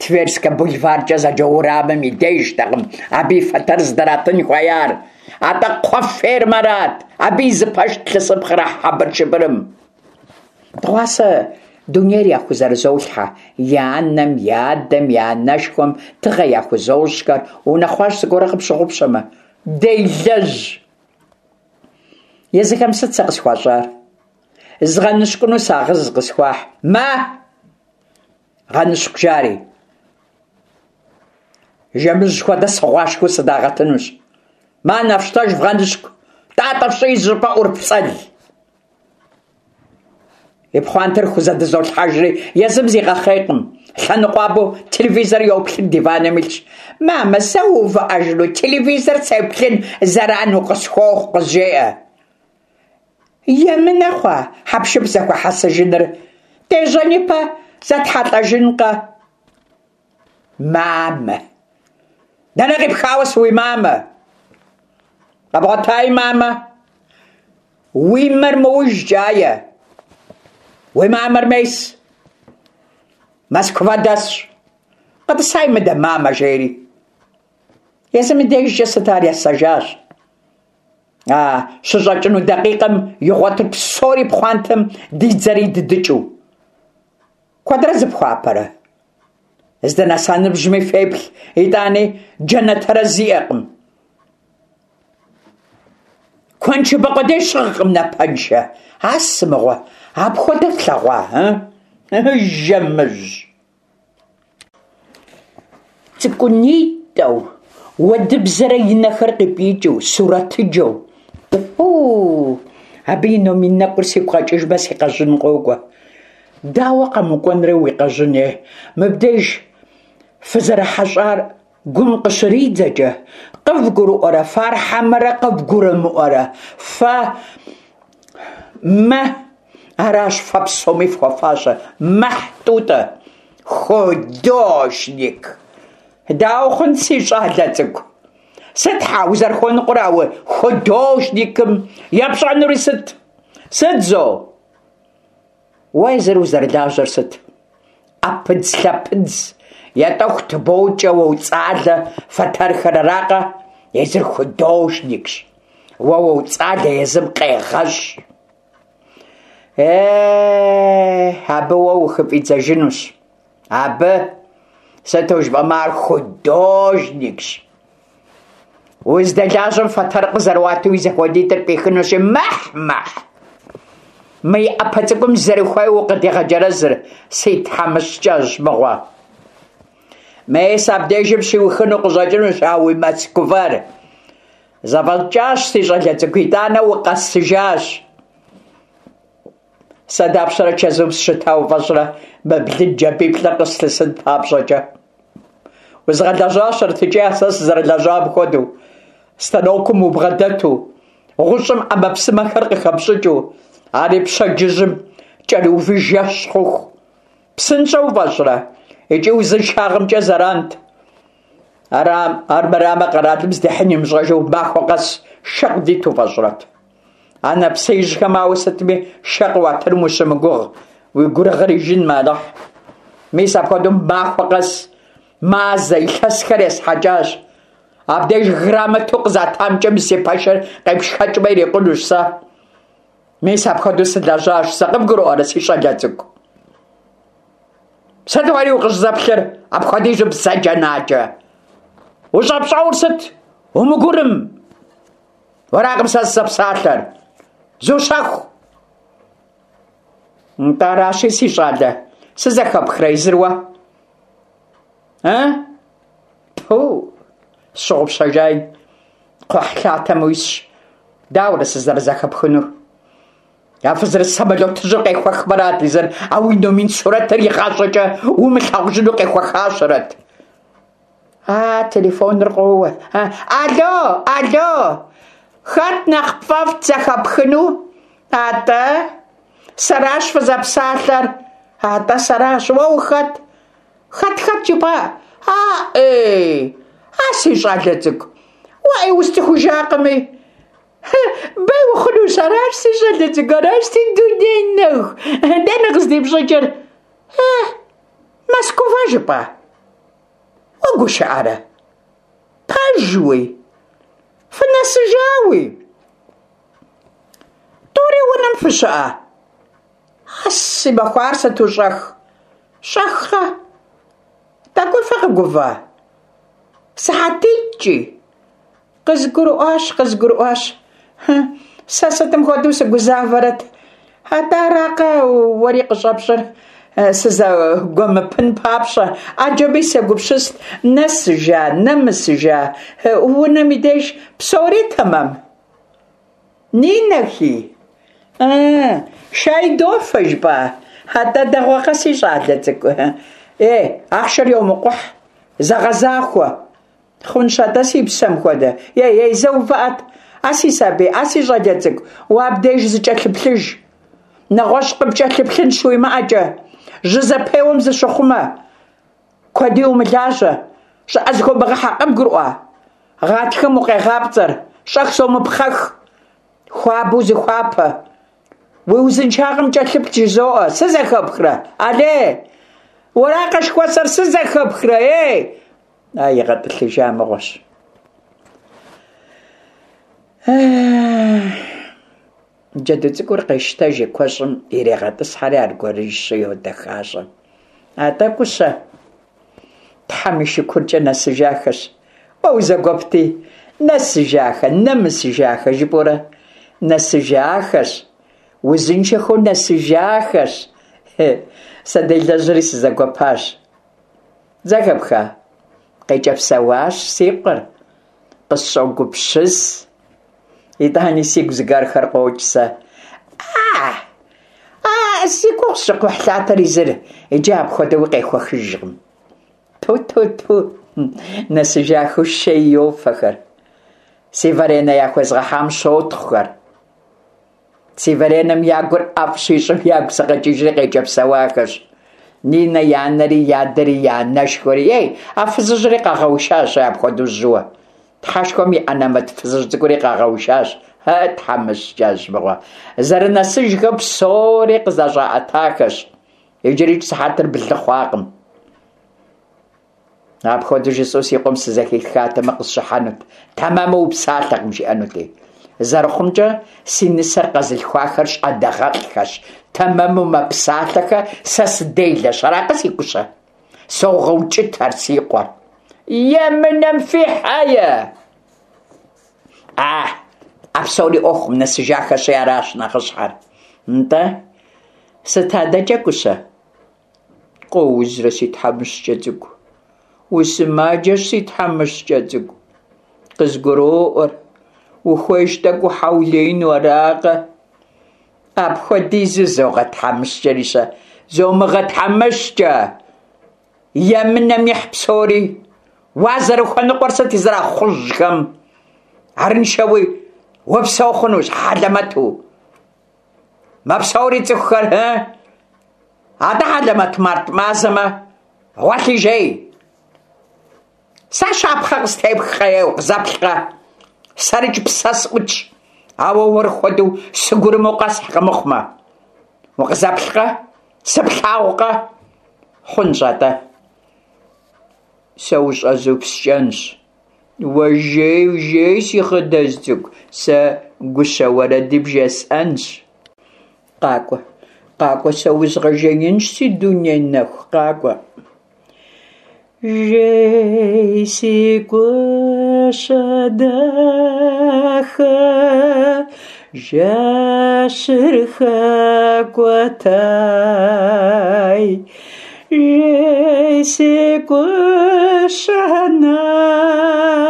Тверскэ бульваркӏэ зэджэ уэрамым и дежтэкъым абы и фэтэр здыратын хуеяр. Атӏэ кхъуэ фермэрат, абы и зы пэшт лъысыпхъэр а хьэбыршыбырым. Дыгъуасэ дунейр яхузэрызолъхьэ, я анэм, я адэм, я анэшхуэм тыгъэ яхузощӏхэр, унэхъуащ зыгуэрэ къыпщыгъупщэмэ. Делэжь! Езыхэм сыт сэ къысхуащӏар? Згъэныщкӏуну сагъыз къысхуахь. Мэ! Гъэныщкӏу жари. Жэмыжь хуэдэ сыгъуашхэу сыдагъэтынущ. Мэ, нэфщтэж вгъэныщкӏу, тӏатӏэ фщӏи зыщӏыпӏэ ӏурыпцӏэл. И пхъуантэр хузэдызолъхьэжри, езым зигъэхъейкъым. Лъэныкъуабэу телевизор йоплъыр, диваным илъщ. «Мамэ, сэ увыӏэжыну телевизор сеплъын зэран укъысхуохъу», къызжеӏэ. Емынэ хъуа хьэпшып зэхуэхьэсыжыныр? Дежьэн ипэ зэтхьэлӏэжынкъэ? Мамэ! Дэнэ къипхауэ сыуимамэ? Къэбгъуэтаи, мамэ? Уи мэр моуж кӏае. Уи мамэр мес. Москва дэсщ. Къэтӏысай мыдэ, мамэ, жери. Езым и дежкӏэ сыт ар есэжащ. А щыщӏэкӏыну дакъикъэм игъуэтыр псори пхъуантэм дидзэри дыдыкӏыу. Куэдрэ зыпхуапэрэ? Здэнэса ныбжьми феплъ, итӏани джанэ тэрэз иӏэкъым. Куэншыбэ къудей щыгъкъым напэншэ. А сымыгъуэ, апхуэдэ флъэгъуа, ы? Жэмыжь! Цӏыкӏунитӏэу, уэдыбзэрэ и нэхэр къипӏийкӏыу, сурэтыджэу. О, абы и номин нэкӏур сигу къэкӏыжмэ, си къэжьын къокӏуэ. Дауэ къэмыкӏуэнрэ уи къэжьын, е? Мыбдеж фызэрыхьэщӏар гум къыщридзэкӏэ, къывгурыӏуэрэ фэ ар хьэмэрэ къывгурымыӏуэрэ? Фэ мэ, аращ фэ псоми фхуэфащэр. Мэхь, Тӏутӏэ, художник. Дауэ хъун, си щӏалэ цӏыкӏу? Сыт хьа узэрыхуэныкъуэр ауэ художникым епщӏэнури сыт? Сыт зо? Уэ езыр узэрылажьэр сыт? ӏэпыдзлъэпыдз, етӏэху тыбокӏэ, уоуцӏалэ фэтэрхэр аракъэ? Езыр художникщ. Уэ уоуцӏалэ, езым къегъэщӏ. Е, абы уэ ухыфӏидзэжынущ. Абы, сыту жыпӏэмэ, ар художникщ. Уздэлажьэм фэтэр къызэрыуату и зэхуэдитӏыр пӏихынущи, мэхь, мэхь. Мы и ӏэпэ цӏыкӏум зэрыхуейуэ укъыдегъэджэрэзыр, си тхьэмыщкӏэжь мыгъуэ. Мес абдежым щиухыну къыщӏэкӏынущ а уи Москвэр. Зэфӏэкӏащ, си щӏалэ цӏыкӏу, итӏанэ укъэсыжащ. Сэ дапщэрэ чэзум сыщыта уфӏэщӏрэ мы блын джабиплӏыр къыслъысын папщӏэкӏэ? Узгъэлэжьащэрэт икӏи а сэ сызэрылэжьам хуэдэу. Станокым убгъэдэту, гъущӏым ӏэмэпсымэхэр къыхэпщӏыкӏыу, ари пщэдджыжьым кӏэрыуви жэщ хъуху. Псынщӏэу уфӏэщӏрэ? Икӏи узыншагъэмкӏэ зэрант. Ара, армырамэ къэралым здихьын имыщӏэжу махуэ къэс шэ къыдит уфӏэщӏрэт? А нэпсеижьхэм ауэ сытми шэ къыуатыным ущымыгугъ, уи гурыгъыр ижынмэ, Алыхь. Мис апхуэдэу махуэ къэс мазэ, илъэсхэр есхьэкӏащ. Абдеж грамотэу къызатамкӏэ мы си пэшыр къепшхэкӏмэ ирикъунущ сэ. Мис апхуэдэу сылэжьащ сэ, къыбгурыӏуэрэ, си щӏалэ цӏыкӏу? Сыт уэри укъыщӏызэплъыр апхуэдизу бзаджэнаджэ? Ущӏэпщӏэур сыт? Умыгурым! Уэракъым сэ сызэпсалъэр. Зущэху! Нтӏэ аращи, си щӏалэ, сызэхэпхрэ езыр уэ? Ы? Пу, сщыгъупщэжай, кхъухьлъатэм уисщ. Дауэрэ сызэрызэхэпхынур? А фызэрыс самолетыжьыр къехуэхмэрат езыр, а уи номин сурэтыр игъащӏэкӏэ умылъагъужыну къехуэхащэрэт. А, телефоныр къоуэ. А, алло, алло! Хэт нэхъ пфӏэфӏт зэхэпхыну? Атӏэ, сэращ фызэпсалъэр. Атӏэ, сэращ. Уэ ухэт? Хэт хэт жыпӏа? А, эй! А, си щӏалэ цӏыкӏу! Уэ ӏей усцӏыхужакъыми. Бей ухъунущ, аращ си щӏалэ цӏыкӏу, аращ си дуней нэху. Дэнэ къыздипщӏыкӏыр? Э, Москва жыпӏа? Уэ гушыӏэрэ? Пэжуи? Фынэсыжауи? Тӏури унэм фыщыӏэ? А, си махуар сыту щӏэх? Щӏэхкъэ? Тӏэкӏуи фыкъэгува? Сыхьэтитӏкӏи? Къызгурыӏуащ, къызгурыӏуащ. Сэ сытым хуэдэу сыгузавэрэт? Атӏэ аракъэ уэри къыщӏэпщӏыр сызэгуэмыпын папщӏэ. Ӏэджэми сегупсыст, нэсыжа, нэмысыжа. Унэм и деж псори тэмэм? Нинэхи? А, шай дофэ жыпӏа? Атӏэ дэгъуэкъэ, си щӏалэ цӏыкӏу. Е, ахъшэр йомыкъухь, зэгъэзахуэ. Хъунщ атӏэ, си псэм хуэдэ. Ей, ей, зэ увыӏэт. А си сабий, а си щӏалэ цӏыкӏу, уэ абдеж зыкӏэлъыплъыж. Нэгъуэщӏ къыпкӏэлъыплъын щуимыӏэкӏэ. Жьы зэпеуэм зыщыхъумэ. Куэди умылажьэ, щӏыӏэ зыхомыгъыхьэ, къыбгурыӏуа? Гъатхэм укъегъапцӏэр, щӏэх зомыпхъэх, хуабэу зыхуапэ. Уи узыншагъэм кӏэлъыплъ жызоӏэ, сызэхэпхрэ? Алей! Уэракъэ жыхуэсӏэр, сызэхэпхрэ? Ей! А игъэтӏылъыжа мыгъуэщ. Джэду цӏыкӏур къещтэж и куэщӏым ирегъэтӏысхьэри аргуэрыжьщи йодэхащӏэ. Атӏэ, Кӏущэ, Тхьэм и шыкуркӏэ нэсыжахэщ. Уэ узэгуэпти, нэсыжахэ, нэмысыжахэ жыпӏэурэ, нэсыжахэщ, узыншэхэу нэсыжахэщ. Сэ делэжьри сызэгуэпащ. Зэхэпха? Къекӏэпсэуащ си къуэр, къысщӏогупсыс. Итӏани сигу зыгуэрхэр къокӏ сэ. А, а, си гугъу сщӏы кхъухьлъатэр езыр, иджы апхуэдэуи къехуэхыжкъым. Ту-ту-ту, нэсыжахэу шей йофэхэр. Си варенэ яхуезгъэхьам щотхъухэр. Си варенэм я гур ӏэфӏ щищӏым ягу сыкъэкӏыжри къекӏэпсэуахэщ. Нинэ и анэри, и адэри, и анэшхуэри. Ей, а фызыжьри къагъэушащ апхуэдэу жьыуэ. Тхьэшхуэм и ӏэнэмэт фызыжь цӏыкӏури къагъэушащ. Э, тхьэмыщкӏэжь мыгъуэ. Зэрынэсыжхэу псори къызэщӏаӏэтахэщ. Иджырикӏ сыхьэтыр блы хъуакъым. Апхуэдэу жысӏэу си къуэм сызэхихатэмэ къысщыхьэнут. Тэмэму упсалъэкъым, жиӏэнути. Зэрыхъумкӏэ, си нысэр къэзылъхуахэр щӏэныгъэлӏхэщ. Тэмэму мэпсалъэхэ, сэ сыделэщ. Аракъэ, си Кӏущэ? Согъэукӏытэр си къуэр. Емынэм фихьэе! А, а псори ӏуэхум нэсыжахэщи аращ нэхъыщхьэр. Нтӏэ, сыт адэкӏэ, Кӏущэ? Къоузрэ, си тхьэмыщкӏэ цӏыкӏу? Усымаджэщ, си тхьэмыщкӏэ цӏыкӏу. Къызгуроӏуэр, ухуейщ тӏэкӏу ухьэулеину, аракъэ? Апхуэдизу зогъэтхьэмыщкӏэри-щэ? Зомыгъэтхьэмыщкӏэ! Емынэм ихь псори! Уазэрыхуэныкъуэр сыт зэрахъужьхэм? Арыншэуи упсэу хъунущ хьэлэмэту. Мэпсэури цӏыхухэр, ы? Атӏэ хьэлэмэт март мазэмэ, гъуэлъи жей. Сэ щапхъэ къыстепхкъэ, е укъызэплъкъэ? Сэрыкӏ псэ сӏутщ, ауэ уэр хуэдэу сыгурымэу къэсхькъым мыхъумэ. Укъызэплъкъэ? Сыплъагъукъэ? Хъунщ атӏэ. Сэ ущӏэзупскӏэнщ. Уэ жей, жей, си хъыдэз цӏыкӏу, сэ гущэ уэрэди бжесӏэнщ. Къакӏуэ, къакӏуэ, сэ узгъэжеинщ, си дуней нэху, къакӏуэ. Жей, си Кӏущэ дахэ, жэщыр хэкӏуэтай. Жей, си Кӏущэ нагъуэ,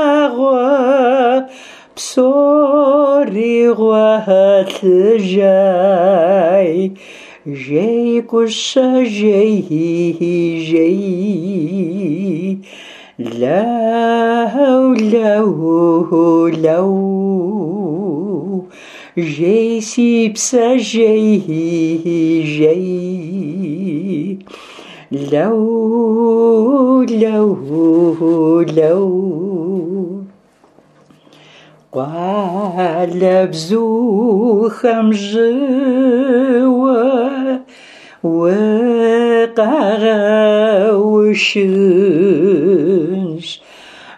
псори гъуэлъыжай. Жей, Кӏущэ, жей, жей. Лэу, лэу, лэу. Жей, си псэ, жей, жей. Лэу, лэу, лэу. Къуалэбзухэм жьыуэ укъагъэушынщ.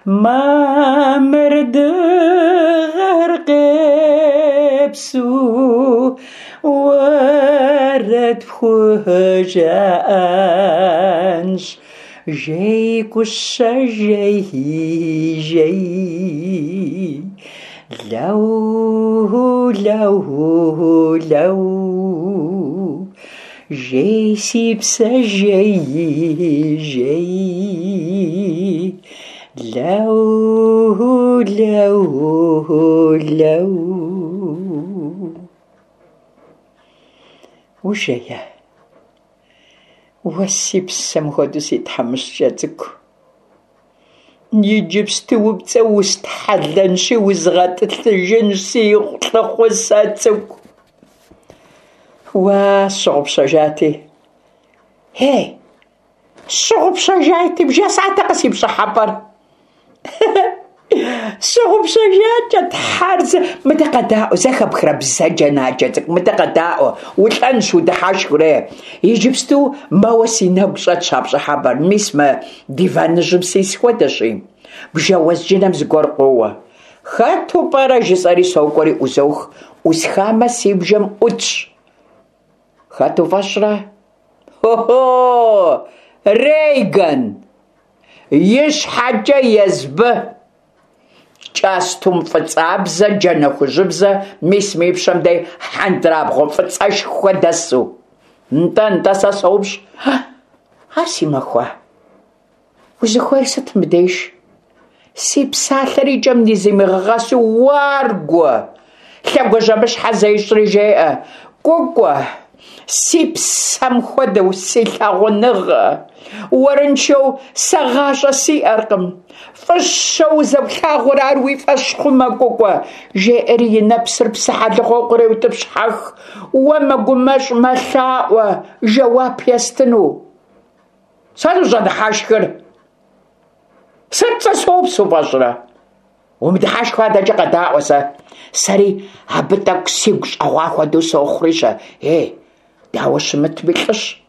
Мамыр дыгъэр къепсу уэрэд пхужаӏэнщ. Жей, Кӏущэ, жей, жей. Лэу, лэу, лэу. Жей, си псэ, жей, жей. Лэу, лэу, лэу. Ужея? Уэ си псэм хуэдэу си тхьэмыщкӏэ цӏыкӏу. Иджыпсту упцӏэу устхьэлэнщи узгъэтӏылъыжынщ, си лӏыхъусэ цӏыкӏу. Уа, сщыгъупщэжати. Ей, сщыгъупщэжати, бжесӏатэкъэ си пщӏыхьэпӏэр? Сщыгъупщэжакӏэ, тхьэр зэ. Мыдэ къэдаӏуэ, зэхэпхрэ бзаджэнаджэ цӏыкӏу, мыдэ къэдаӏуэ, улӏэнщ, удыхьэшхыурэ. Иджыпсту мэуэ си нэгу щӏэтщ а пщӏыхьэпӏэр. Мис мы диваныжьым сис хуэдэщи, бжэ уэзджынэм зыгуэр къоуэ. Хэту пӏэрэ жысӏэри сокӏуэри ӏузох, ӏусхамэ си бжэм ӏутщ. Хэт уфӏэщӏрэ? Хо-хо! Рейган! И щхьэкӏэ езбы! Кӏэстум фӏыцӏабзэ, джанэ хужьыбзэ, мис мы и пщэм дей хьэндрабгъуэ фӏыцӏэшхуэ дэсу. Нтӏэ, нтӏэ, сэ соупщӏ. Ар си махуа? Узыхуейр сыт мыбдеж? Си псалъэр и кӏэм низимыгъэгъэсу уаргуэ! Лъэгуажьэмыщхьэ зещӏри жеӏэ: Кӏукӏуэ, си псэм хуэдэу си лъагъуныгъэ! Уэрыншэу сэ гъащӏэ сиӏэркъым. Фӏыщэу узэплъагъур ар уи фӏэщ хъумэ, Кӏукӏуэ, жеӏэри и нэпсыр псыхьэлыгъуэу къреутӏыпщхьэх. Уэ мэгумэщӏ, мэлъаӏуэ, жэуап естыну. Сэ ущӏэдыхьэшхыр? Сыт сэ соупс уфӏэщӏрэ? Умыдыхьэшхыу адэкӏэ къэдаӏуэ сэ. Сэри абы тӏэкӏу сигу щӏэгъуа хуэдэу сохъури-щэ. Ей, дауэ щымытми лӏыщ.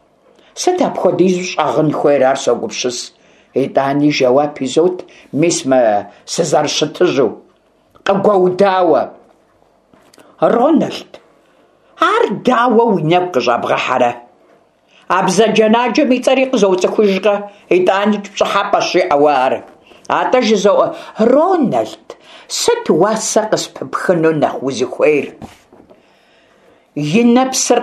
Сыт апхуэдизу щӏэгъын хуейр, ар согупсыс. Итӏани жэуап изот, мис мы сызэрыщытыжьу. Къыгуэудауэ. Рональд, ар дауэ уи нэгу къыщӏэбгъэхьэрэ? А бзаджэнаджэм и цӏэри къызоцӏыхужкъэ? Итӏаникӏ пщӏыхьэпӏэщ жыӏэ уэ ар. Атӏэ жызоӏэ, Рональд, сыт уасэ къыспыпхыну нэхъ узыхуейр? И нэпсыр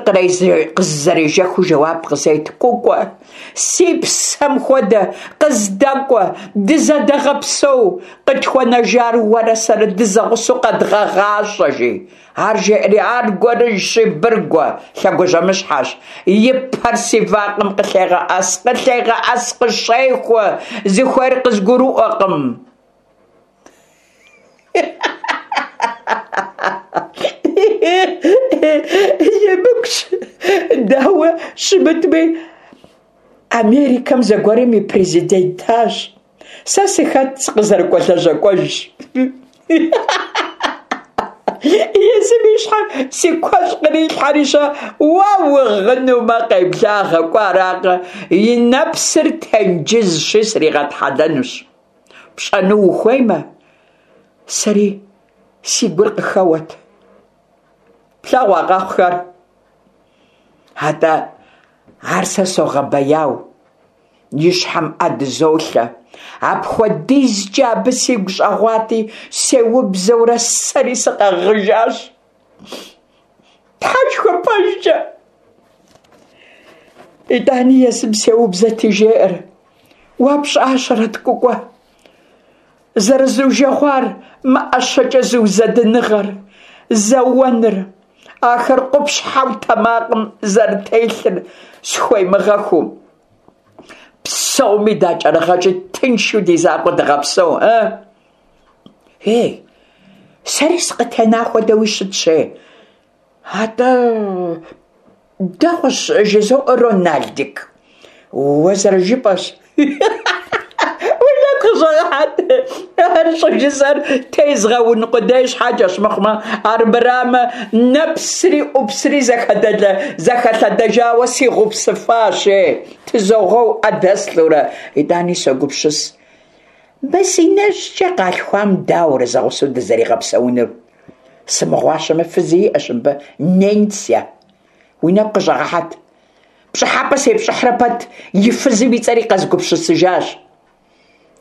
къызэрежэхыу жэуап къызет: Кӏукӏуэ, си псэм хуэдэ, къыздэкӏуэ, дызэдэгъэпсэу, къытхуэнэжар уэрэ сэрэ дызэгъусэу къэдгъэгъащӏэ, жи. Ар жеӏэри аргуэрыжьщи, быргуэ, лъэгуажьэмыщхьэщ. И пэр си вакъэм къылъегъэӏэс, къылъегъэӏэс, къыщехуэ, зыхуейр къызгурыӏуэкъым. Емыкӏущ, дауэ щымытми, Америкэм зэгуэрым и президентащ. Сэ сыхэт, сыкъызэрыкӏуэ лэжьакӏуэжьщ. Езым и щхьэр си куэщӏ кърилъхьэри-щэ, уэ угъынумэ, къеблагъэ, кӏуэ аракъэ, и нэпсыр тенджызщи сригъэтхьэлэнущ. Пщӏэну ухуеймэ, сэри си гур къыхэуэт. Плъэгъуа къэхъухэр? Атӏэ, ар сэ согъэбэяу, и щхьэм ӏэ дызолъэ. Апхуэдизкӏэ абы сигу щӏэгъуати, сеубзэурэ сэри сыкъэгъыжащ. Тхьэшхуэ пэжкӏэ. Итӏани езым сеубзэти жеӏэр: Уэ пщӏащэрэт, Кӏукӏуэ, зэрызужэгъуар мы ӏэщэкӏэ зыузэдыныгъэр, зэуэныр, ахэр къупщхьэу тэмакъым зэрытелъыр схуемыгъэхыу. Псоми дакӏэрыгъэкӏи тыншу ди закъуэ дыгъэпсэу, э? Ей, сэри сыкъытена хуэдэуи щытщ, ей. Атӏэ, дэгъуэщ, жызоӏэ, Роналдик. Уэ зэрыжыпӏэщ. Уи нэгу къыщӏэгъэхьэт, ар щӏыжысӏэр тезгъэун къудей щхьэкӏэщ мыхъумэ, армырамэ, нэпсри ӏупсри зэхэлъэдэжауэ сигъупсыфащ, ей. Тызогъэу ӏэ дэслъэурэ. Итӏани согупсыс. Мы си нэщӏкӏэ къалъхуам дауэрэ зэгъусэу дызэригъэпсэунур? Сымыгъуащэмэ, фызи иӏэщ мыбы, Ненся. Уи нэгу къыщӏэгъэхьэт. Пщӏыхьэпӏэ сепщӏыхьрэ пэт, и фызым и цӏэри къэзгупсысыжащ.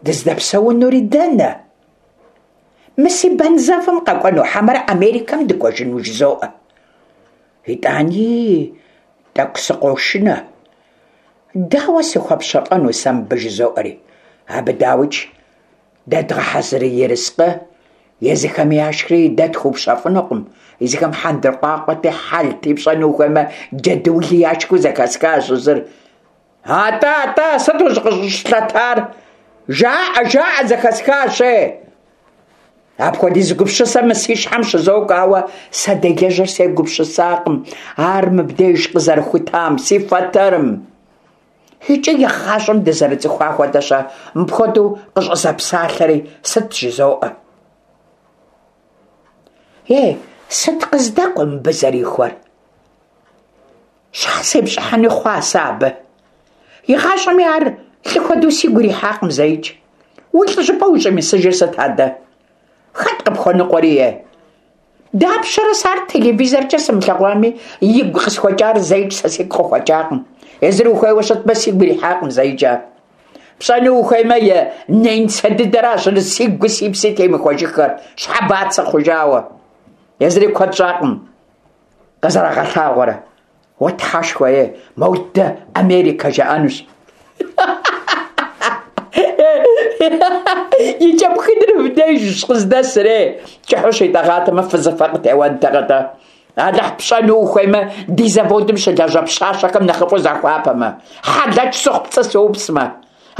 Дыздэпсэунури дэнэ? Мы си бэнзэвым къэкӏуэну хьэмэрэ Америкэм дыкӏуэжыну жызоӏэ. Итӏани тӏэкӏу сыкъошынэ. Дауэ сыхуэпщэфӏэну сэ мыбы жызоӏэри? Абы дауикӏ дэдгъэхьэзыр ерыскъы Езыхэми яшхри дэ тхуэупщэфӏынукъым. Езыхэм хьэндыркъуакъуэти, хьэлти, пщӏэну ухуеймэ, джэдуули яшхыу зэхэсхащ зыр. Атӏэ, атӏэ, сыт ущӏыкъыщӏыщлъэтар? Жаӏэ, жаӏэ, зэхэсхащ, е! Апхуэдиз гупсысэ мы си щхьэм щызокӏуэ, ауэ сэ делэжьыр сегупсысакъым ар мыбдеж къызэрыхутам, си фэтэрым. Икӏи игъащӏэм дызэрыцӏыхуа хуэдэщ, мыпхуэдэу къыщӏызэпсалъэри сыт жызоӏэ. Е, сыт къыздэкӏуэ мыбы зэрихуэр? Щхьэ сепщӏыхьыни хъуа сэ абы? Игъащӏэми ар лӏы хуэдэу сигу ирихьакъым зэикӏ. Уи лӏыжьыпӏэ ущӏимысыжыр сыт адэ? Хэт къыпхуэныкъуэри, е? Дапщэрэ сэ ар телевизоркӏэ сымылъэгъуами, игу къысхуэкӏар зэикӏ сэ сигу къыхуэкӏакъым. Езыр ухуейуэ щытмэ, сигу ирихьакъым зэикӏ ар. Пщӏэну ухуеймэ, и ненцэ дыдэращ сигу си пси темыхуэжыххэр, щхьэ бацэ хъужауэ. Езыри куэд щӏакъым къызэрагъэлъагъуэрэ. Уэ тхьэшхуэ, е, модэ Америкэ жаӏэнущ. И кӏэпхыныр мыбдежщ къыздэсыр, е. Кӏыхьу щитӏэгъатэмэ, фызыфэ къытеуэнтэкъэ-тӏэ. Алыхь пщӏэну ухуеймэ, ди заводым щылажьэ пщащэхэм нэхъыфӏу захуапэмэ, хьэлэч сыхъу пцӏы сыупсмэ.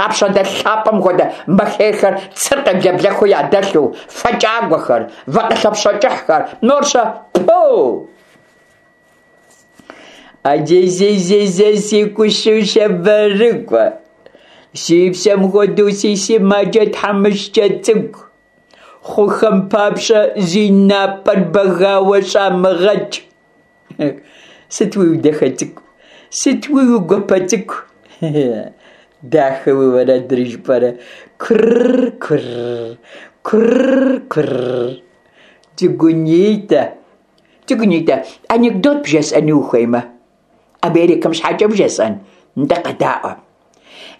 Апщӏондэху лъапӏэм хуэдэ махерхэр цыр къеблэблэхыу ядэлъу, фэ кӏагуэхэр, вакъэ кӏыхьхэр, мор-щэ, пу! Аджезезезе си кӏущу бэрыкӏуэ, си псэм хуэдэу си сымаджэ тхьэмыщкӏэ цӏыкӏу, хъухэм папщӏэ зи напӏэр бэгауэ щӏамыгъэкӏ. Сыт уи дахэ цӏыкӏу, сыт уи гуапэ цӏыкӏу? Дахэ уи уэрэдыр жыпӏэрэ? Курр, курр, курр, курр. Цӏыкӏунитӏэ, цӏыкӏунитӏэ, анекдот бжесӏэну ухуеймэ? Америкэм щхьэкӏэ бжесӏэн? Нтӏэ къэдаӏуэ.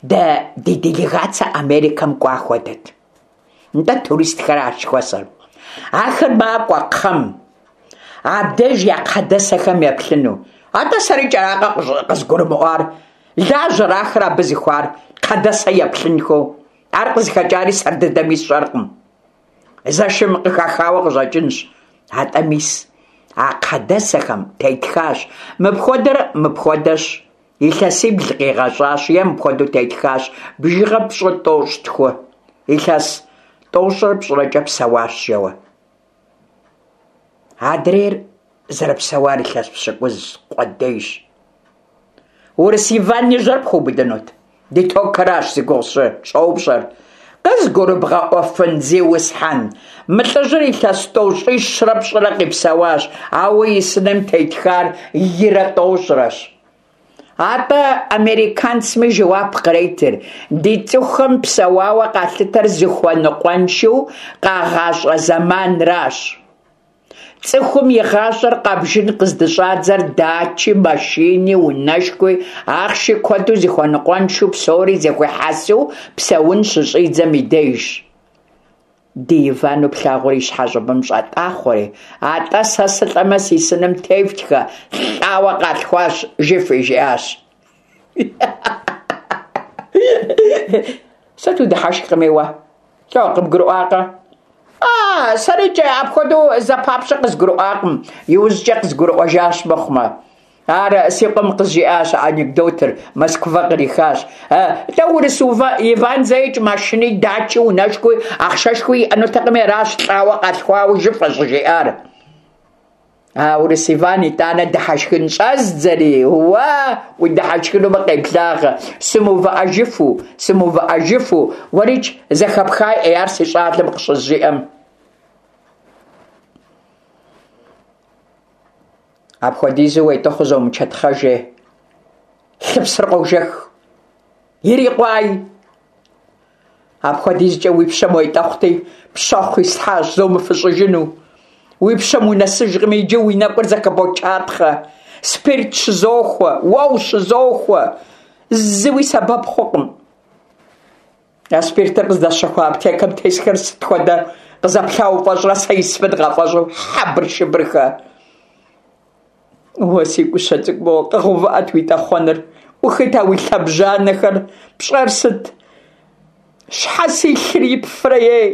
Дэ ди делегацэ Америкэм кӏуа хуэдэт. Нтӏэ туристхэращ жыхуэсӏэр. Ахэр макӏуэ кхъэм. Абдеж я кхъэдэсэхэм еплъыну. Атӏэ сэри кӏэракъэ къызгурымыӏуар. Лажьэр ахэр абы зыхуар, кхъэдэсэ еплъынхэу. Ар къызыхэкӏари сэр дыдэми сщӏэркъым. Зэшым къыхахауэ къыщӏэкӏынщ. Атӏэ мис, а кхъэдэсэхэм тетхащ. Мыпхуэдэр мыпхуэдэщ. Илъэсибл къигъэщӏащ е мыпхуэдэу тетхащ. Бжыгъэ пщӏы тӏощӏ тху. Илъэс тӏощӏрэ пщӏырэкӏэ псэуащ жэуэ. Адрейр зэрыпсэуар илъэс пщыкӏуз къудейщ. Урыс Иван и жьэр пхуэубыдынут? Ди токэращ зи гугъу сщӏы, щӏэупщӏэр. Къызгурыбгъэӏуэфын, зиусхьэн, мы лӏыжьыр илъэс тӏощӏищрэ пщӏырэ къипсэуащ, ауэ и сыным тетхар ирэ тӏощӏрэщ. Атӏэ американцми жэуап къретыр. Ди цӏыхухэм псэуауэ къалъытэр зыхуэныкъуэншэу къагъащӏэ зэманращ. Цӏыхум и гъащӏэр къабжын къыздыщӏадзэр дачи, машини, унэшхуи, ахъши куэду зыхуэныкъуэншэу псори зэхуихьэсу псэун щыщӏидзэм и дежщ. Ди Ивану плъагъур и щхьэ щӏыбым щӏэтӏахъуэри, атӏэ сэ сылӏэмэ си сыным тефтхэ, лӏауэ къалъхуащ, жыфӏи, жиӏащ. Сыт удыхьэшхкъыми уэ? Лӏо, къыбгурыӏуакъэ? А, сэрикӏэ апхуэдэу зэпапщӏэ къызгурыӏуакъым, иужькӏэ къызгурыӏуэжащ мыхъумэ. Ар си къуэм къызжиӏащ анекдотыр, Москва кърихащ. Лӏэ урыс Иван зэикӏ машини, дачи, унэшхуи, ахъшэшхуи иӏэнутэкъыми аращ лӏауэ къалъхуауэ жыфӏэ щӏыжиӏар. А урыс Иван итӏанэ дыхьэшхын щӏэздзэри, уэ удыхьэшхынумэ къеблагъэ, сымыувыӏэжыфу, сымыувыӏэжыфу, уэрикӏ зэхэпхай ӏей ар си щӏалэм къыщызжиӏэм. Апхуэдизу уетӏыхъуу зомычэтхъэжи, лъыпсыр къожэх, ирикъуай. Апхуэдизкӏэ уи пщэм уетӏэхъути, пщэхъу ислъхьащ зомыфыщӏыжыну. Уи пщэм унэсыжкъыми, иджы уи нэкӏур зэхыбочатхъэ. Спирт щызохуэ, уэ ущызохуэ, зыуи сэбэп хъукъым. А спиртыр къыздэсщэхуа аптекэм тесхэр сыт хуэдэ къызэплъа уфӏэщӏрэ сэ исфын къафӏэщӏу хьэбыршыбырхэ. Уэ си кӏущэ цӏыкӏу моуэ къэгъэувыӏэт уи тӏэхъуэныр, ӏухыт а уи лъэбжьанэхэр, пщӏэр сыт? Щхьэ си лъыр ипфрэ, ей?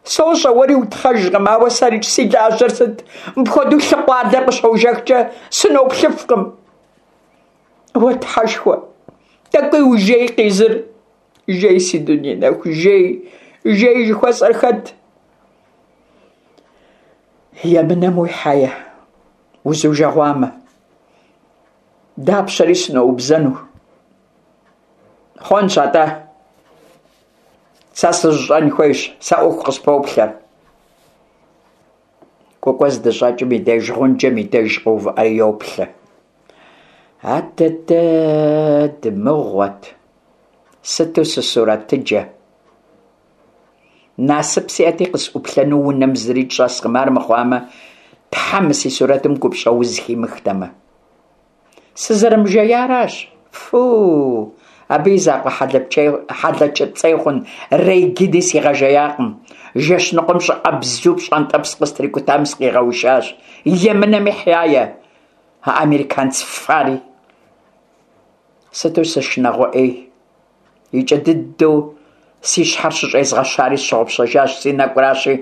Сощӏэ, уэри утхъэжкъым, ауэ сэрикӏ си лажьэр сыт? Мыпхуэдэу лъыкъуалэр къыщожэхкӏэ сыноплъыфкъым. Уэ тхьэшхуэ, тӏэкӏуи ужей къизыр. Жей, си дуней нэху, жей, жей жыхуэсӏэр хэт? Емынэм уихьэе, узужэгъуамэ. Дапщэри сыноубзэну. Хъуэнщ атӏэ. Сэ сыжьыщӏэн хуейщ, сэ ӏуэху къыспоплъэр. Кӏукӏуэ здыщӏэкӏым и деж гъунджэм и деж къоувыӏэри йоплъэ. Адэдэ дымыгъуэт, сыту сысурэтыджэ. Насып сиӏэти къысӏуплъэну унэм зырикӏ щӏэскъым, ар мыхъуамэ, тхьэ мы си сурэтым гупщӏэ уз химыхтэмэ. Сызэрымыжеяращ. Фу, абы и закъуэ хьэлэчыпцӏей хъун Рейгини сигъэжеякъым. Жэщ ныкъуэм щӏыӏэбзу пщӏантӏэпс къыстрикӏутам сыкъигъэушащ. Емынэм ихьяе, а американц фари. Сыту сышынагъуэ ӏей. Икӏэ дыдэу си щхьэр щыщӏезгъэщари сщыгъупщэжащ, си нэкӏуращи,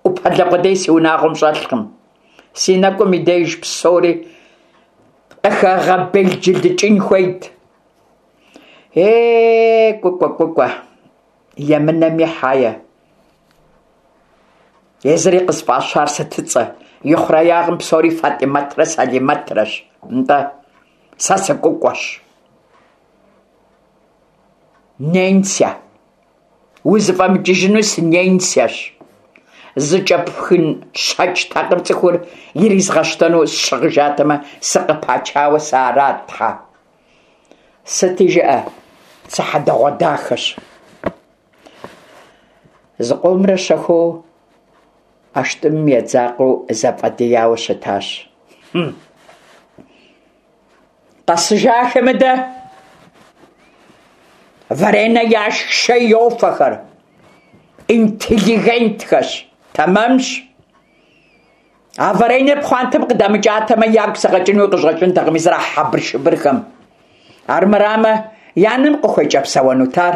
ӏупэлэ къудей си унагъуэм щӏэлъкъым. Си нэкӏум и деж псори къыхэгъэбелджылыкӏын хуейт. Е, Кӏукӏуэ, Кӏукӏуэ, емынэм ихьае. Езыри къысфӏащар сытыцӏэ? И хъуреягъым псори Фатӏимэтрэ Салимэтрэщ. Нтӏэ, сэ сыкӏукӏуэщ. Ненся. Узыфӏэмыкӏыжыну сыненсящ. Зыкӏэпхын щэкӏ такъыр цӏыхур иризгъэщтэну сщыгъыжатэмэ, сыкъыпачауэ сыарат, тхьэ. Сыти жыӏэ, сыхьэдэгъуэдахэщ. Зыкъомрэ щэхуу ӏэштӏымым едзакъэу зэфӏэдияуэ щытащ. Къэсыжахэ мыдэ. Варенэ яшх, шей йофэхэр. Интеллигентхэщ, тэмэмщ. А варенэр пхъуантэм къыдамыкӏатэмэ, ягу сыкъэкӏынуи къыщӏэкӏынтэкъым зэрахьэ хьэбыршыбырхэм. Армырамэ, я нэм къыхуекӏэпсэуэнут ар.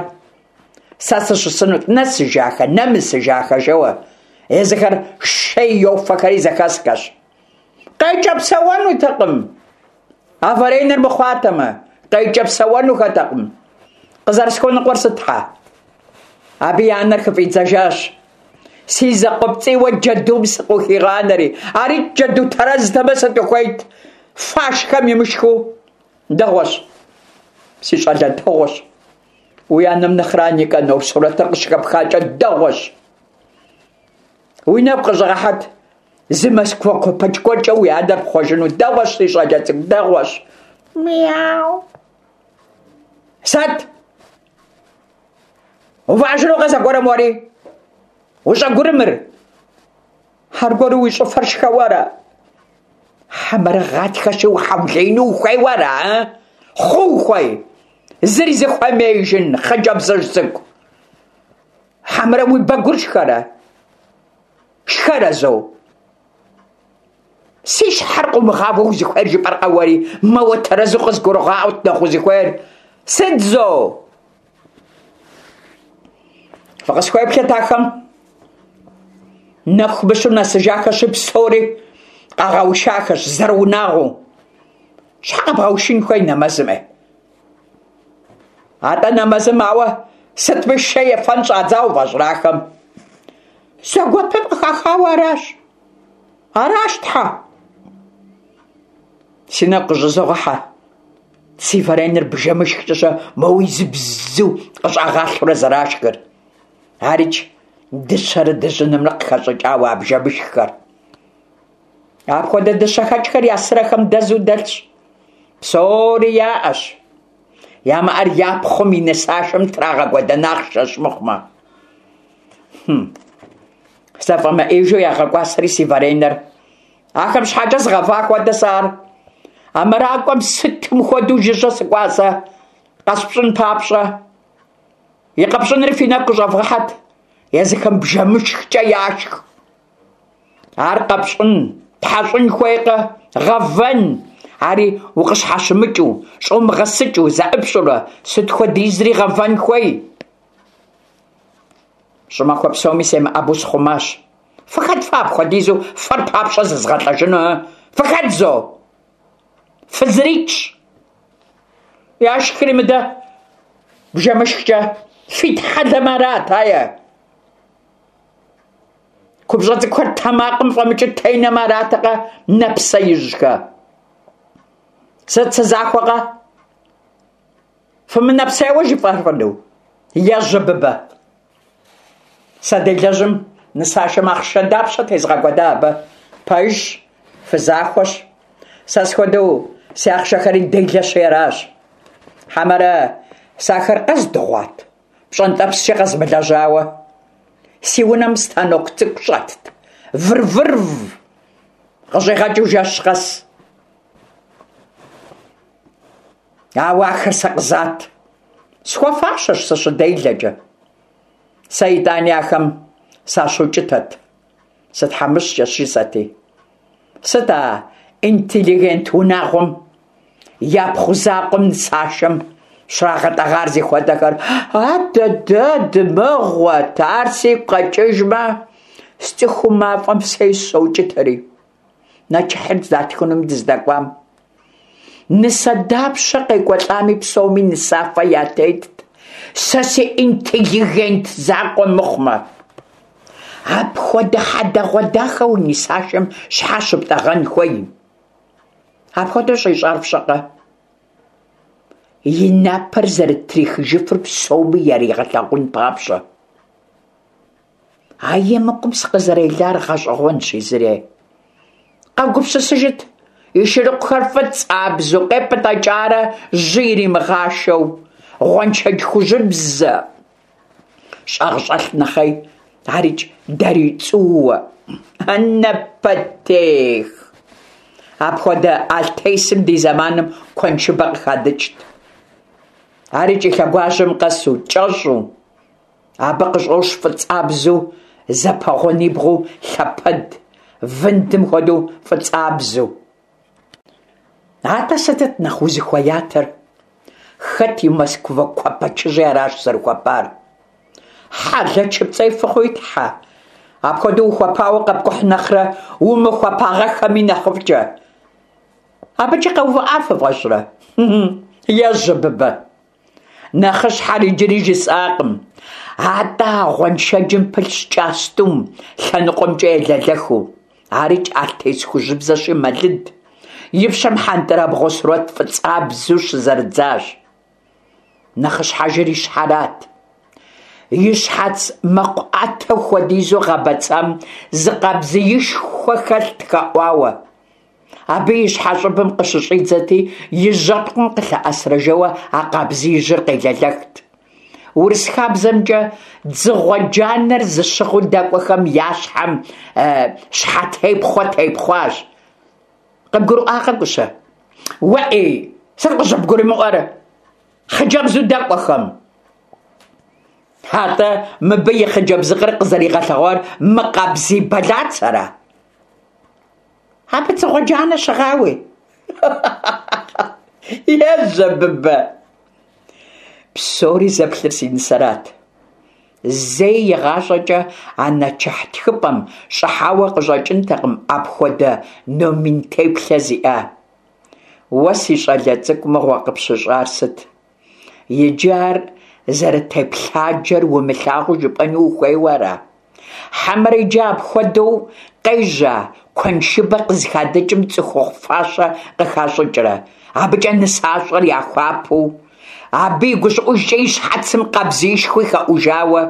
Сэ сыщысынут, нэсыжахэ, нэмысыжахэ жэуэ. Езыхэр шей йофэхэри зэхэсхэщ. Къекӏэпсэуэнутэкъым. А варенэр мыхъуатэмэ, къекӏэпсэуэнухэтэкъым. Къызэрысхуэныкъуэр сыт, тхьэ? Абы и анэр хыфӏидзэжащ. Си закъуэпцӏийуэ джэдум сыкъыхигъанэри, ари джэду тэрэзтэмэ сыт ухуейт? Фашхэм имышхыу. Дэгъуэщ, си щӏалэ дэгъуэщ. Уи анэм нэхърэ Никанор сурэтыр къыщыхэпхакӏэ дэгъуэщ. Уи нэгу къыщӏэгъэхьэт, зы Москва куэпэч гуэркӏэ уи анэр пхъуэжыну. Дэгъуэщ, си щӏалэ цӏыкӏу, дэгъуэщ. Мяу. Сыт? Увыӏэжынукъэ зэгуэрым уэри? Ущӏэгурымыр? Аргуэру уи щӏыфэр шхэуэ ара? Хьэмэрэ гъатхэщи ухьэулеину ухуейуэ ара, а? Хъу ухуей? Зыри зыхуэмеижын хъыджэбзыжь цӏыкӏу. Хьэмэрэ уи бэгур шхэрэ? Шхэрэ зо? Си щхьэр къыумыгъауэ узыхуейр жыпӏэркъэ уэри? Мэуэ тэрэзу къызгурыгъаӏуэт нэхъ узыхуейр. Сыт зо? Фыкъысхуеплъыт ахэм. Нэху мыщу нэсыжахэщи псори къагъэушахэщ зэрыунагъуэу. Щхьэ къэбгъэушын хуей нэмэзым, ӏей? Атӏэ нэмэзым ауэ сытми шей ефэн щӏадзауэ фӏэщӏрахэм. Зэгуэпым къыхахауэ аращ. Аращ, тхьэ. Си нэгу къыщӏызогъэхьэ. Си варенэр бжэмышхкӏэ моуэ изыбзу къыщӏагъалъэурэ зэрашхыр. Арикӏ дыщэрэ дыжьынымрэ къыхэщӏыкӏауэ а бжэмышххэр. Апхуэдэ дыщэхэкӏхэр я сырэхэм дэзу дэлъщ. Псори яӏэщ. Ямыӏэр я пхъум и нысашэм трагъэкӏуэдэн ахъшэщ мыхъумэ. Хм. Зэфӏэмыӏежу ягъэкӏуасэри си варенэр. Ахэм щхьэкӏэ згъэва хуэдэ сэ ар. А мэракӏуэм сытым хуэдэу жыжьэ сыкӏуа сэ къэспщӏын папщӏэ. И къэпщӏынри фи нэгу къыщӏэвгъэхьэт. Езыхэм бжэмышхкӏэ яшх. Ар къэпщӏын, тхьэщӏын хуейкъэ, гъэвэн. Ари укъыщхьэщымыкӏыу, щӏумыгъэсыкӏыу, зэӏыпщӏурэ сыт хуэдизри гъэвэн хуей. Щӏымахуэ псоми семыӏэбэу схъумащ. Фыхэт фэ апхуэдизу фэр папщӏэ зызгъэлӏэжыну, ы? Фыхэт зо? Фызырикӏщ. Яшхри мыдэ бжэмышхкӏэ фитхьэлэмэ арат, ае. Купщӏэ цӏыкӏухэр тэмакъым фӏэмыкӏыу тенэмэ аратэкъэ, нэпсеижьхэ. Сыт сызахуэкъэ? Фымынэпсейуэ жыфӏэфыну? Ежьэ, Быбэ. Сэ делэжьым нысашэм ахъшэ дапщэ тезгъэкӏуэда абы? Пэжщ, фызахуэщ. Сэ схуэдэу си ахъшэхэри делэщи аращ. Хьэмэрэ сэ ахэр къэздыгъуат, пщӏэнтӏэпскӏэ къэзмылэжьауэ. Си унэм станок цӏыкӏу щӏэтт, выр-вырв къыщӏигъэкӏыу жэщ къэс. Ауэ ахэр сэ къызат. Схуэфащэщ сыщыделэкӏэ. Сэ итӏани ахэм сащукӏытэт. Сытхьэмыщкӏэщ жысӏэти. Сыт а интеллигент унагъуэм япхъу закъуэм нысашэм щрагъэтӏэгъар зихуэдэхэр? Адэдэ дымыгъуэт, ар сигу къэкӏыжмэ, сцӏыхуу мафӏэм сес соукӏытэри. Нэчыхьыр здатхынум дыздэкӏуам. Нысэ дапщэ къекӏуэлӏами псоми нысафэ ятетт. Сэ си интеллигент закъуэ мыхъумэ. Апхуэдэ хьэдэгъуэдахэ уи нысашэм щхьэ щыптӏэгъэн хуей? Апхуэдэу щӏищӏар фщӏэкъэ? И напэр зэрытрихыжыфыр псоми яригъэлъагъун папщӏэ. А емыкӏум сыкъызэрелар гъэщӏэгъуэнщ езыри. Къэгупсысыжыт, и шырыкъухэр фӏыцӏабзэу къепӏытӏэкӏарэ жьы иримыгъашэу, гъуэншэдж хужьыбзэ щӏагъщӏэлъ нэхъей, арикӏ дарий цӏууэ. Напэтех! Апхуэдэ алътесым ди зэманым куэншыбэ къыхадыкӏт. Арикӏ и лъэгуажьэм къэсу, кӏэщӏу. Абы къыщӏощ фӏыцӏабзэу зэпэгъунибгъуу лъэпэд, вындым хуэдэу фӏыцӏабзэу. Атӏэ сытыт нэхъ узыхуеятэр? Хэт и Москва куэпэчыжьи аращ зэрыхуэпар. Хьэлэчыпцӏей фыхъуи, тхьэ. Апхуэдэу ухуэпауэ къэпкӏухь нэхърэ умыхуэпагъэххэми нэхъыфӏкӏэ. Абыкӏи къэувыӏа фыфӏэщӏрэ? Ежьэ, Быбэ. Нэхъыщхьэр иджыри жысӏакъым. Атӏэ а гъуэншэджым пылъщ кӏастум лъэныкъуэмкӏэ елэлэхыу. Арикӏ алътес хужьыбзэщи мэлыд. И пщэм хьэнтӏрабгъуэ сурэт фӏыцӏабзэу щызэрыдзащ. Нэхъыщхьэжыр и щхьэрат. И щхьэц мэкъу ӏэтэ хуэдизу гъэбэцам зы къабзиишхуэ хэлът хэӏуауэ. Абы и щхьэщӏыбым къыщыщӏидзэти, и жьэпкъым къылъэӏэсрэ жэуэ а къабзиижьыр къелэлэхт. Урыс хабзэмкӏэ дзыгъуэ джанэр зыщыгъыу дэкӏуэхэм я щхьэм щхьэтепхъуэ тепхъуащ. Къыбгурыӏуакъэ, Кӏущэ? Уэӏей, сыт къыщӏыбгурымыӏуэр? Хъыджэбзу дэкӏуэхэм. Атӏэ мыбы и хъыджэбзыкъыр къызэригъэлъэгъуар мы къабзий бэлацэра? Абы дзыгъуэ джанэ щыгъауи. Ежьэ, Быбэ. Псори зэплъыр си нысэрат. Зэи игъащӏэкӏэ а нэчыхь тхыпӏэм щӏыхьауэ къыщӏэкӏынтэкъым апхуэдэ номин теплъэ зиӏа. Уэ си щӏалэ цӏыкӏу мыгъуэ къыпщыщӏар сыт? Иджы ар зэрытеплъаджэр умылъагъуу жыпӏэну ухуейуэ ара? Хьэмэрэ иджы апхуэдэу къежьа куэншыбэ къызыхадыкӏым цӏыхухъу фащэ къыхащӏыкӏрэ, абыкӏэ нысащӏэр яхуапэу, абы и гущӏыӏужкӏэ и щхьэцым къабзиишхуи хэӏужауэ?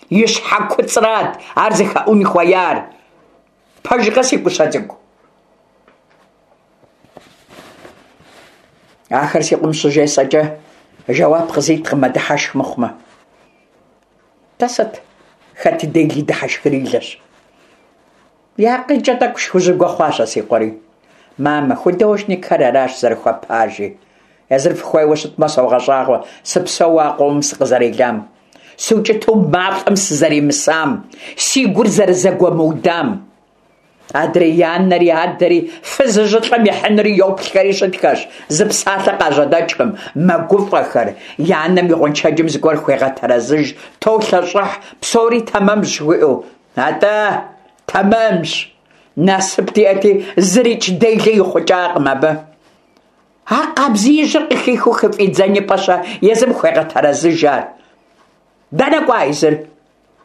И щхьэ куцӏрат ар зыхэӏун хуеяр. Пэжкъэ, си Кӏущэ цӏыкӏу? Ахэр си къуэм щыжесӏэкӏэ жэуап къызиткъым, мэдыхьэшх мыхъумэ. Тӏэ сыт? Хэт и дели дыхьэшхырилэщ. И акъылкӏэ тӏэкӏу шхужьыгуэ хъуащ а си къуэри. Мамэ, художникхэр аращ зэрыхуэпар, жи. Езыр фыхуейуэ щытмэ, согъэщӏагъуэ, сыпсэууэ а къомым сыкъызэрелам. Сукӏыту мафӏэм сызэримысам, си гур зэрызэгуэмыудам. Адрей и анэри адэри фызыжьылӏэм ихьынури йоплъхэри щытхэщ, зы псалъэ къажьэдэкӏкъым, мэгуфӏэхэр. И анэм и гъуэншэджым зыгуэр хуегъэтэрэзыж, толъэщӏыхь, псори тэмэмщ жыхуиӏэу. Атӏэ, тэмэмщ. Насып диӏэти, зырикӏ делэ ихъукӏакъым абы. А къабзиижьыр къыхихыу хыфӏидзэн и пӏэ-щэ, езым хуегъэтэрэзыж ар. Дэнэ кӏуа езыр?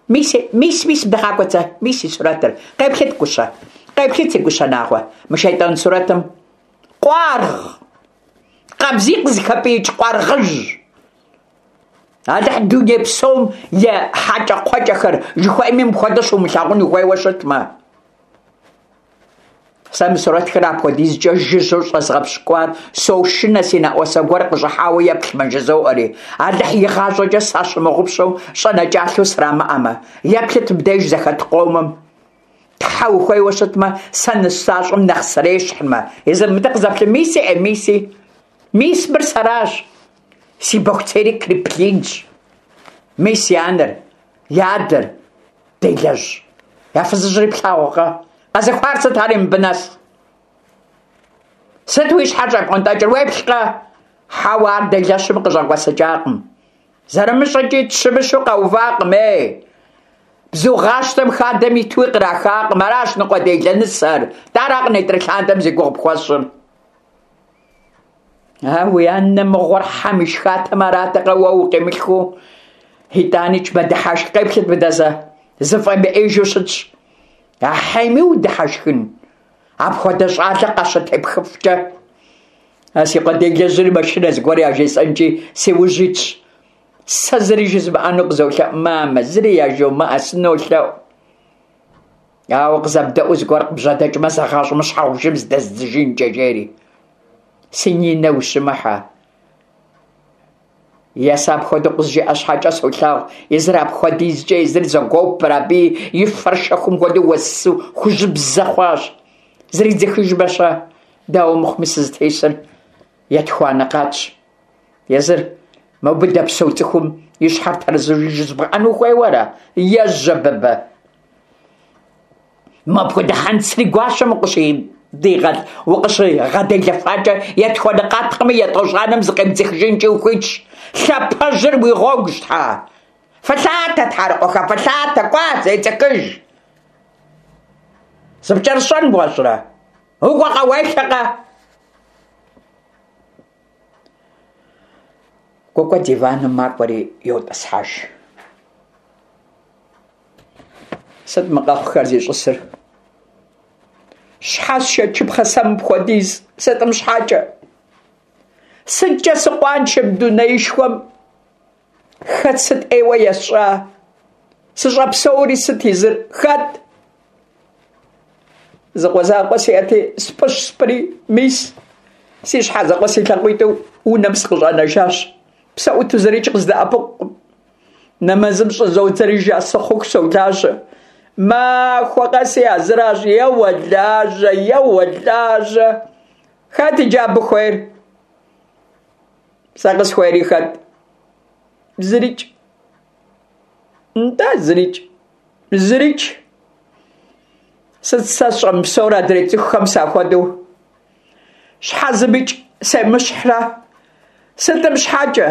Мис, мис, мис, дыгъакӏуэ зэ, мис и сурэтыр. Къеплъыт, гущэ, къеплъыт си гущэ нагъуэ, мы шейтӏан сурэтым. Къуаргъ! Къабзий къызыхэпӏиикӏ къуаргъыжь! Алыхь дуней псом и хьэкӏэкхъуэкӏэхэр жыхуаӏэми мыпхуэдэ щумылъагъун ухуейуэ щытмэ. Сэ мы сурэтхэр апхуэдизкӏэ жыжьэу щӏэзгъэпщкӏуар сошынэ си нэӏуасэ гуэр къыщӏыхьауэ еплъмэ жызоӏэри. Алыхь игъащӏэкӏэ сащымыгъупщэу щӏэнэкӏалъэу срамыӏэмэ. Еплъыт мыбдеж зэхэт къомым. Тхьэ ухуейуэ щытмэ, сэ нысащӏэм нэхъ срещхьмэ. Езыр мыдэ къызэплъы, миси, э, миси. Мис мыр сэращ. Си бохуцейри Киплингщ. Мис и анэр, и адэр, делэжь. Я фызыжьри плъагъуркъэ? Къэзыхуар сыт ари мыбы нэс? Сыт уи щхьэр щӏэпӏуэнтӏэкӏыр, уеплъкъэ? Хьэуэ, ар делэщым къыщӏэкӏуэсыкӏакъым. Зэрымыщӏэкӏи тщымыщу къэувакъым, ей. Бзугъащтэм хадэм итуи кърахакъым. Аращ ныкъуэделэ нысэр. Даракъым нетӏрылъандэм зи гугъу пхуэсщӏыр. А уи анэ мыгъуэр хьэм ишхатэм аратэкъэ уэ укъимылъхуу? Итӏаникӏ мэдыхьэшх, къеплъыт мыдэ зэ. Зыфӏэмыӏейжу щытщ. Ахьейми удыхьэшхын. Апхуэдэ щӏалэ къащытепхыфкӏэ. А си къуэ делэжьри машинэ зыгуэр яжесӏэнкӏи си ужь итщ. Сэ зыри жызмыӏэну къызолъэӏу, мамэ, зыри яжомыӏэ, сынолъэӏу. Ауэ къызэбдэӏуу зыгуэр къыбжьэдэкӏмэ, зэгъащӏэмэ щхьэгъубжэм зыдэздзыжынкӏэ, жери. Си Нинэ ущымыхьэ. Е сэ апхуэдэу къызжиӏэ щхьэкӏэ солъагъу, езыр апхуэдизкӏэ езыр зэгуопыр, абы и фэр шэхум хуэдэу уэсу хужьыбзэ хъуащ. Зридзыхыжмэ-щэ? Дауэ мыхъуми сызытесыр етхуанэ къатщ. Езыр мобы дэпсэу цӏыхум и щхьэр тэрэзу жызбгъэӏэну хуейуэ ара? Ежьэ, быбэ. Мопхуэдэ хьэнцри гуащэм укъыщыдигъэл, укъыщигъэделэфакӏэ етхуанэ къаткъыми етӏощӏанэм зыкъебдзыхыжынкӏи ухуитщ. Лъапэжьыр уи гъуэгущ, тхьэ. Фылъатэ, тхьэрыкъуэхэ, фылъатэ, кӏуа, зецӏыхыж. Зыпкӏэрыщӏэн бгъуэщӏрэ? Укӏуэкъэ, уелъэкъэ? Кӏуэкӏуэ диваным макӏуэри йотӏысхьэж. Сыт мы къэхъухэр зищӏысыр? Щхьэ сшэчыпхъэ сэ мыпхуэдиз? Сытым щхьэкӏэ? Сыткӏэ сыкъуаншэ мы дунеишхуэм? Хэт сыт ӏейуэ есщӏа? Сыщӏэпсэури сыт езыр? Хэт? Зы къуэ закъуэ сиӏэти, спӏыщ спӏыри, мис, си щхьэ закъуэ си лъакъуитӏу унэм сыкъыщӏэнэжащ. Псэӏуту зырикӏ къыздэӏэпыкъукъым. Нэмэзым щӏызодзэри жасы хъуху солажьэ. Махуэ къэси а зыращ, еуэ лажьэ, еуэ лажьэ. Хэт иджы абы хуейр? Сэ къысхуейри хэт? Зырикӏ. Нтӏэ, зырикӏ. Зырикӏ. Сыт сэ сщӏэмыпсэур адрей цӏыхухэм сахуэдэу? Щхьэ зымикӏ семыщхьрэ? Сытым щхьэкӏэ?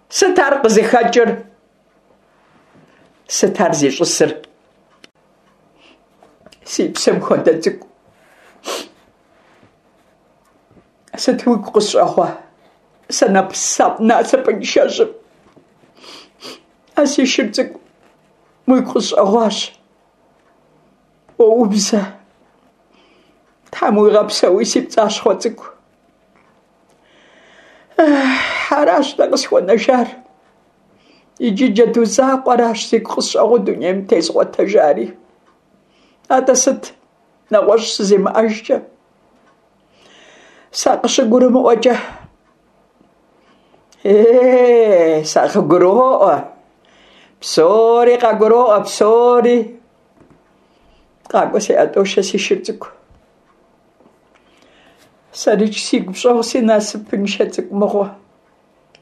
Сыт ар къызыхэкӏыр? Сыт ар зищӏысыр? Си псэм хуэдэ цӏыкӏу. Сыт уигу къысщӏэгъуа? Сэ насыпыншэжьым. А си шыр цӏыкӏу уигу къысщӏэгъуащ. Уоубзэ. Тхьэм уигъэпсэуи си пцӏащхъуэ цӏыкӏу. Аращ дэ къысхуэнэжар. Иджы джэду закъуэращ сигу къысщӏэгъуу дунейм тезгъуэтэжари. Атӏэ сыт нэгъуэщӏ сызимыӏэжкӏэ? Сакъыщыгурымыӏуэкӏэ. Е, сакъыгуроӏуэ. Псори къагуроӏуэ, псори. Къакӏуэ си ӏэтӏошэ си шыр цӏыкӏу. Сэрикӏ сигу пщӏэгъу си насыпыншэ цӏыкӏу мыгъуэ.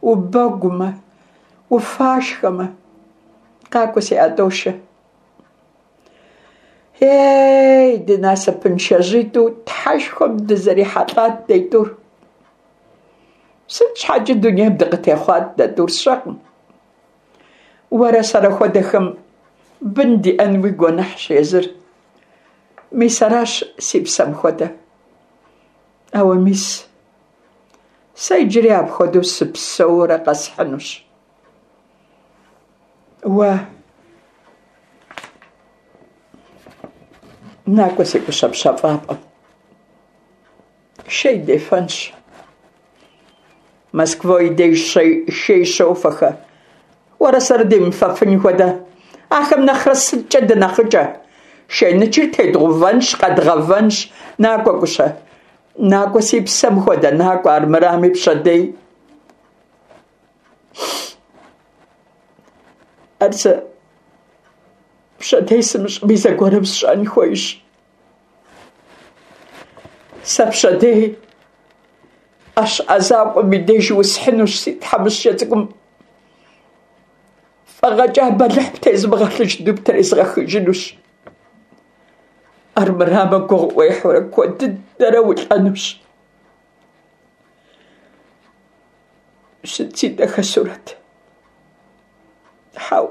Убэгумэ, уфашхэмэ. Къакӏуэ си ӏэтӏошэ. Ей, дынасыпыншэжьитӏу Тхьэшхуэм дызэрихьэлӏат дэ тӏур. Сыт щхьэкӏи дунейм дыкъытехъуат дэ тӏур, сщӏэкъым. Уэрэ сэрэ хуэдэхэм бын диӏэнуи гуэныхьщ езыр. Мис аращ си псэм хуэдэ. Ауэ мис, сэ иджыри апхуэдэу сыпсэуурэ къэсхьынущ. Уэ накӏуэ си Кӏущэ пщэфӏапӏэм. Шей дефэнщ. Москва и деж шей щофэхэ. Уэрэ сэрэ демыфэфын хуэдэ. Ахэм нэхърэ сыткӏэ дынэхъыкӏэ? Шейнычыр тедгъэувэнщ, къэдгъэвэнщ. Накӏуэ, Кӏущэ. Накӏуэ си псэм хуэдэ, накӏуэ, армырами пщэдей. Ар сэ пщэдей сымыщӏми зэгуэрым сщӏэн хуейщ. Сэ пщэдей ӏэщ ӏэзакӏуэм и деж усхьынущ си тхьэмыщкӏэ цӏыкӏум. Фӏэгъэкӏа бэлыхь птезмыгъэлъыжыну птрезгъэхыжынущ. Армырамэ гугъу уехьурэ куэд дыдэрэ улӏэнущ. Сыт си дахэ сурэт? Хьэу,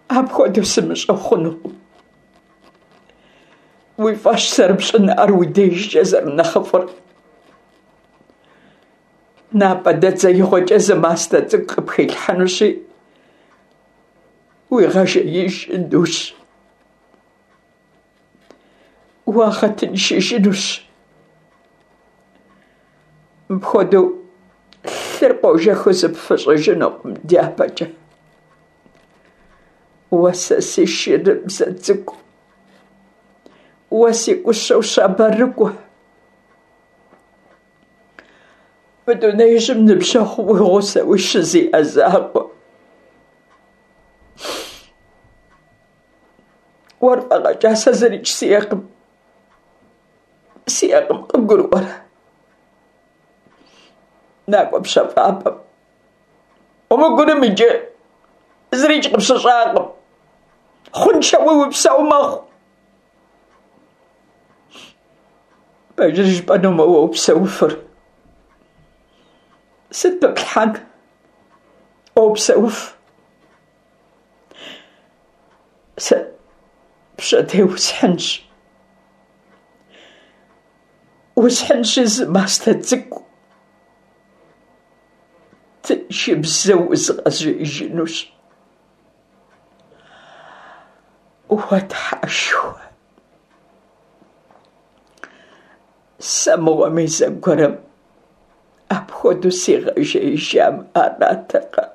апхуэдэу сымыщӏэу хъунукъым. Уи фӏэщ зэрыпщӏын ар уи дежкӏэ зэрынэхъыфӏыр. Напӏэ дэдзеигъуэкӏэ зы мастэ цӏыкӏу къыпхилъхьэнущи, уигъэжеижынущ. Уагъэтыншыжынущ. Мыпхуэдэу лъыр къожэхыу зыпфыщӏыжынукъым дяпэкӏэ. Уэ сэ си шырыбзэ цӏыкӏу, уэ си Кӏущэу щабэрыкӏуэ. Мы дунеижьым ныбжьэгъу уи гъусэуи щызиӏэ закъуэ. Уэр фӏэгъэкӏа сэ зырикӏ сиӏэкъым. Сиӏэкъым, къыбгурыӏуэрэ? Накӏуэ пщэфӏапӏэм. Умыгурым иджы, зырикӏ къыпщыщӏакъым. Хъуншэуи упсэу мэхъу. Пэжыр жыпӏэнумэ, уэ упсэуфыр. Сыт пыплъхьэн? Уэ упсэуф. Сэ пщэдей усхьынщ. Усхьынщи зы мастэ цӏыкӏу. Тыншыбзэу узгъэжеижынущ. Уэ Тхьэшхуэ! Сэ мыгъуэми зэгуэрым апхуэдэу сигъэжеижам аратэкъэ.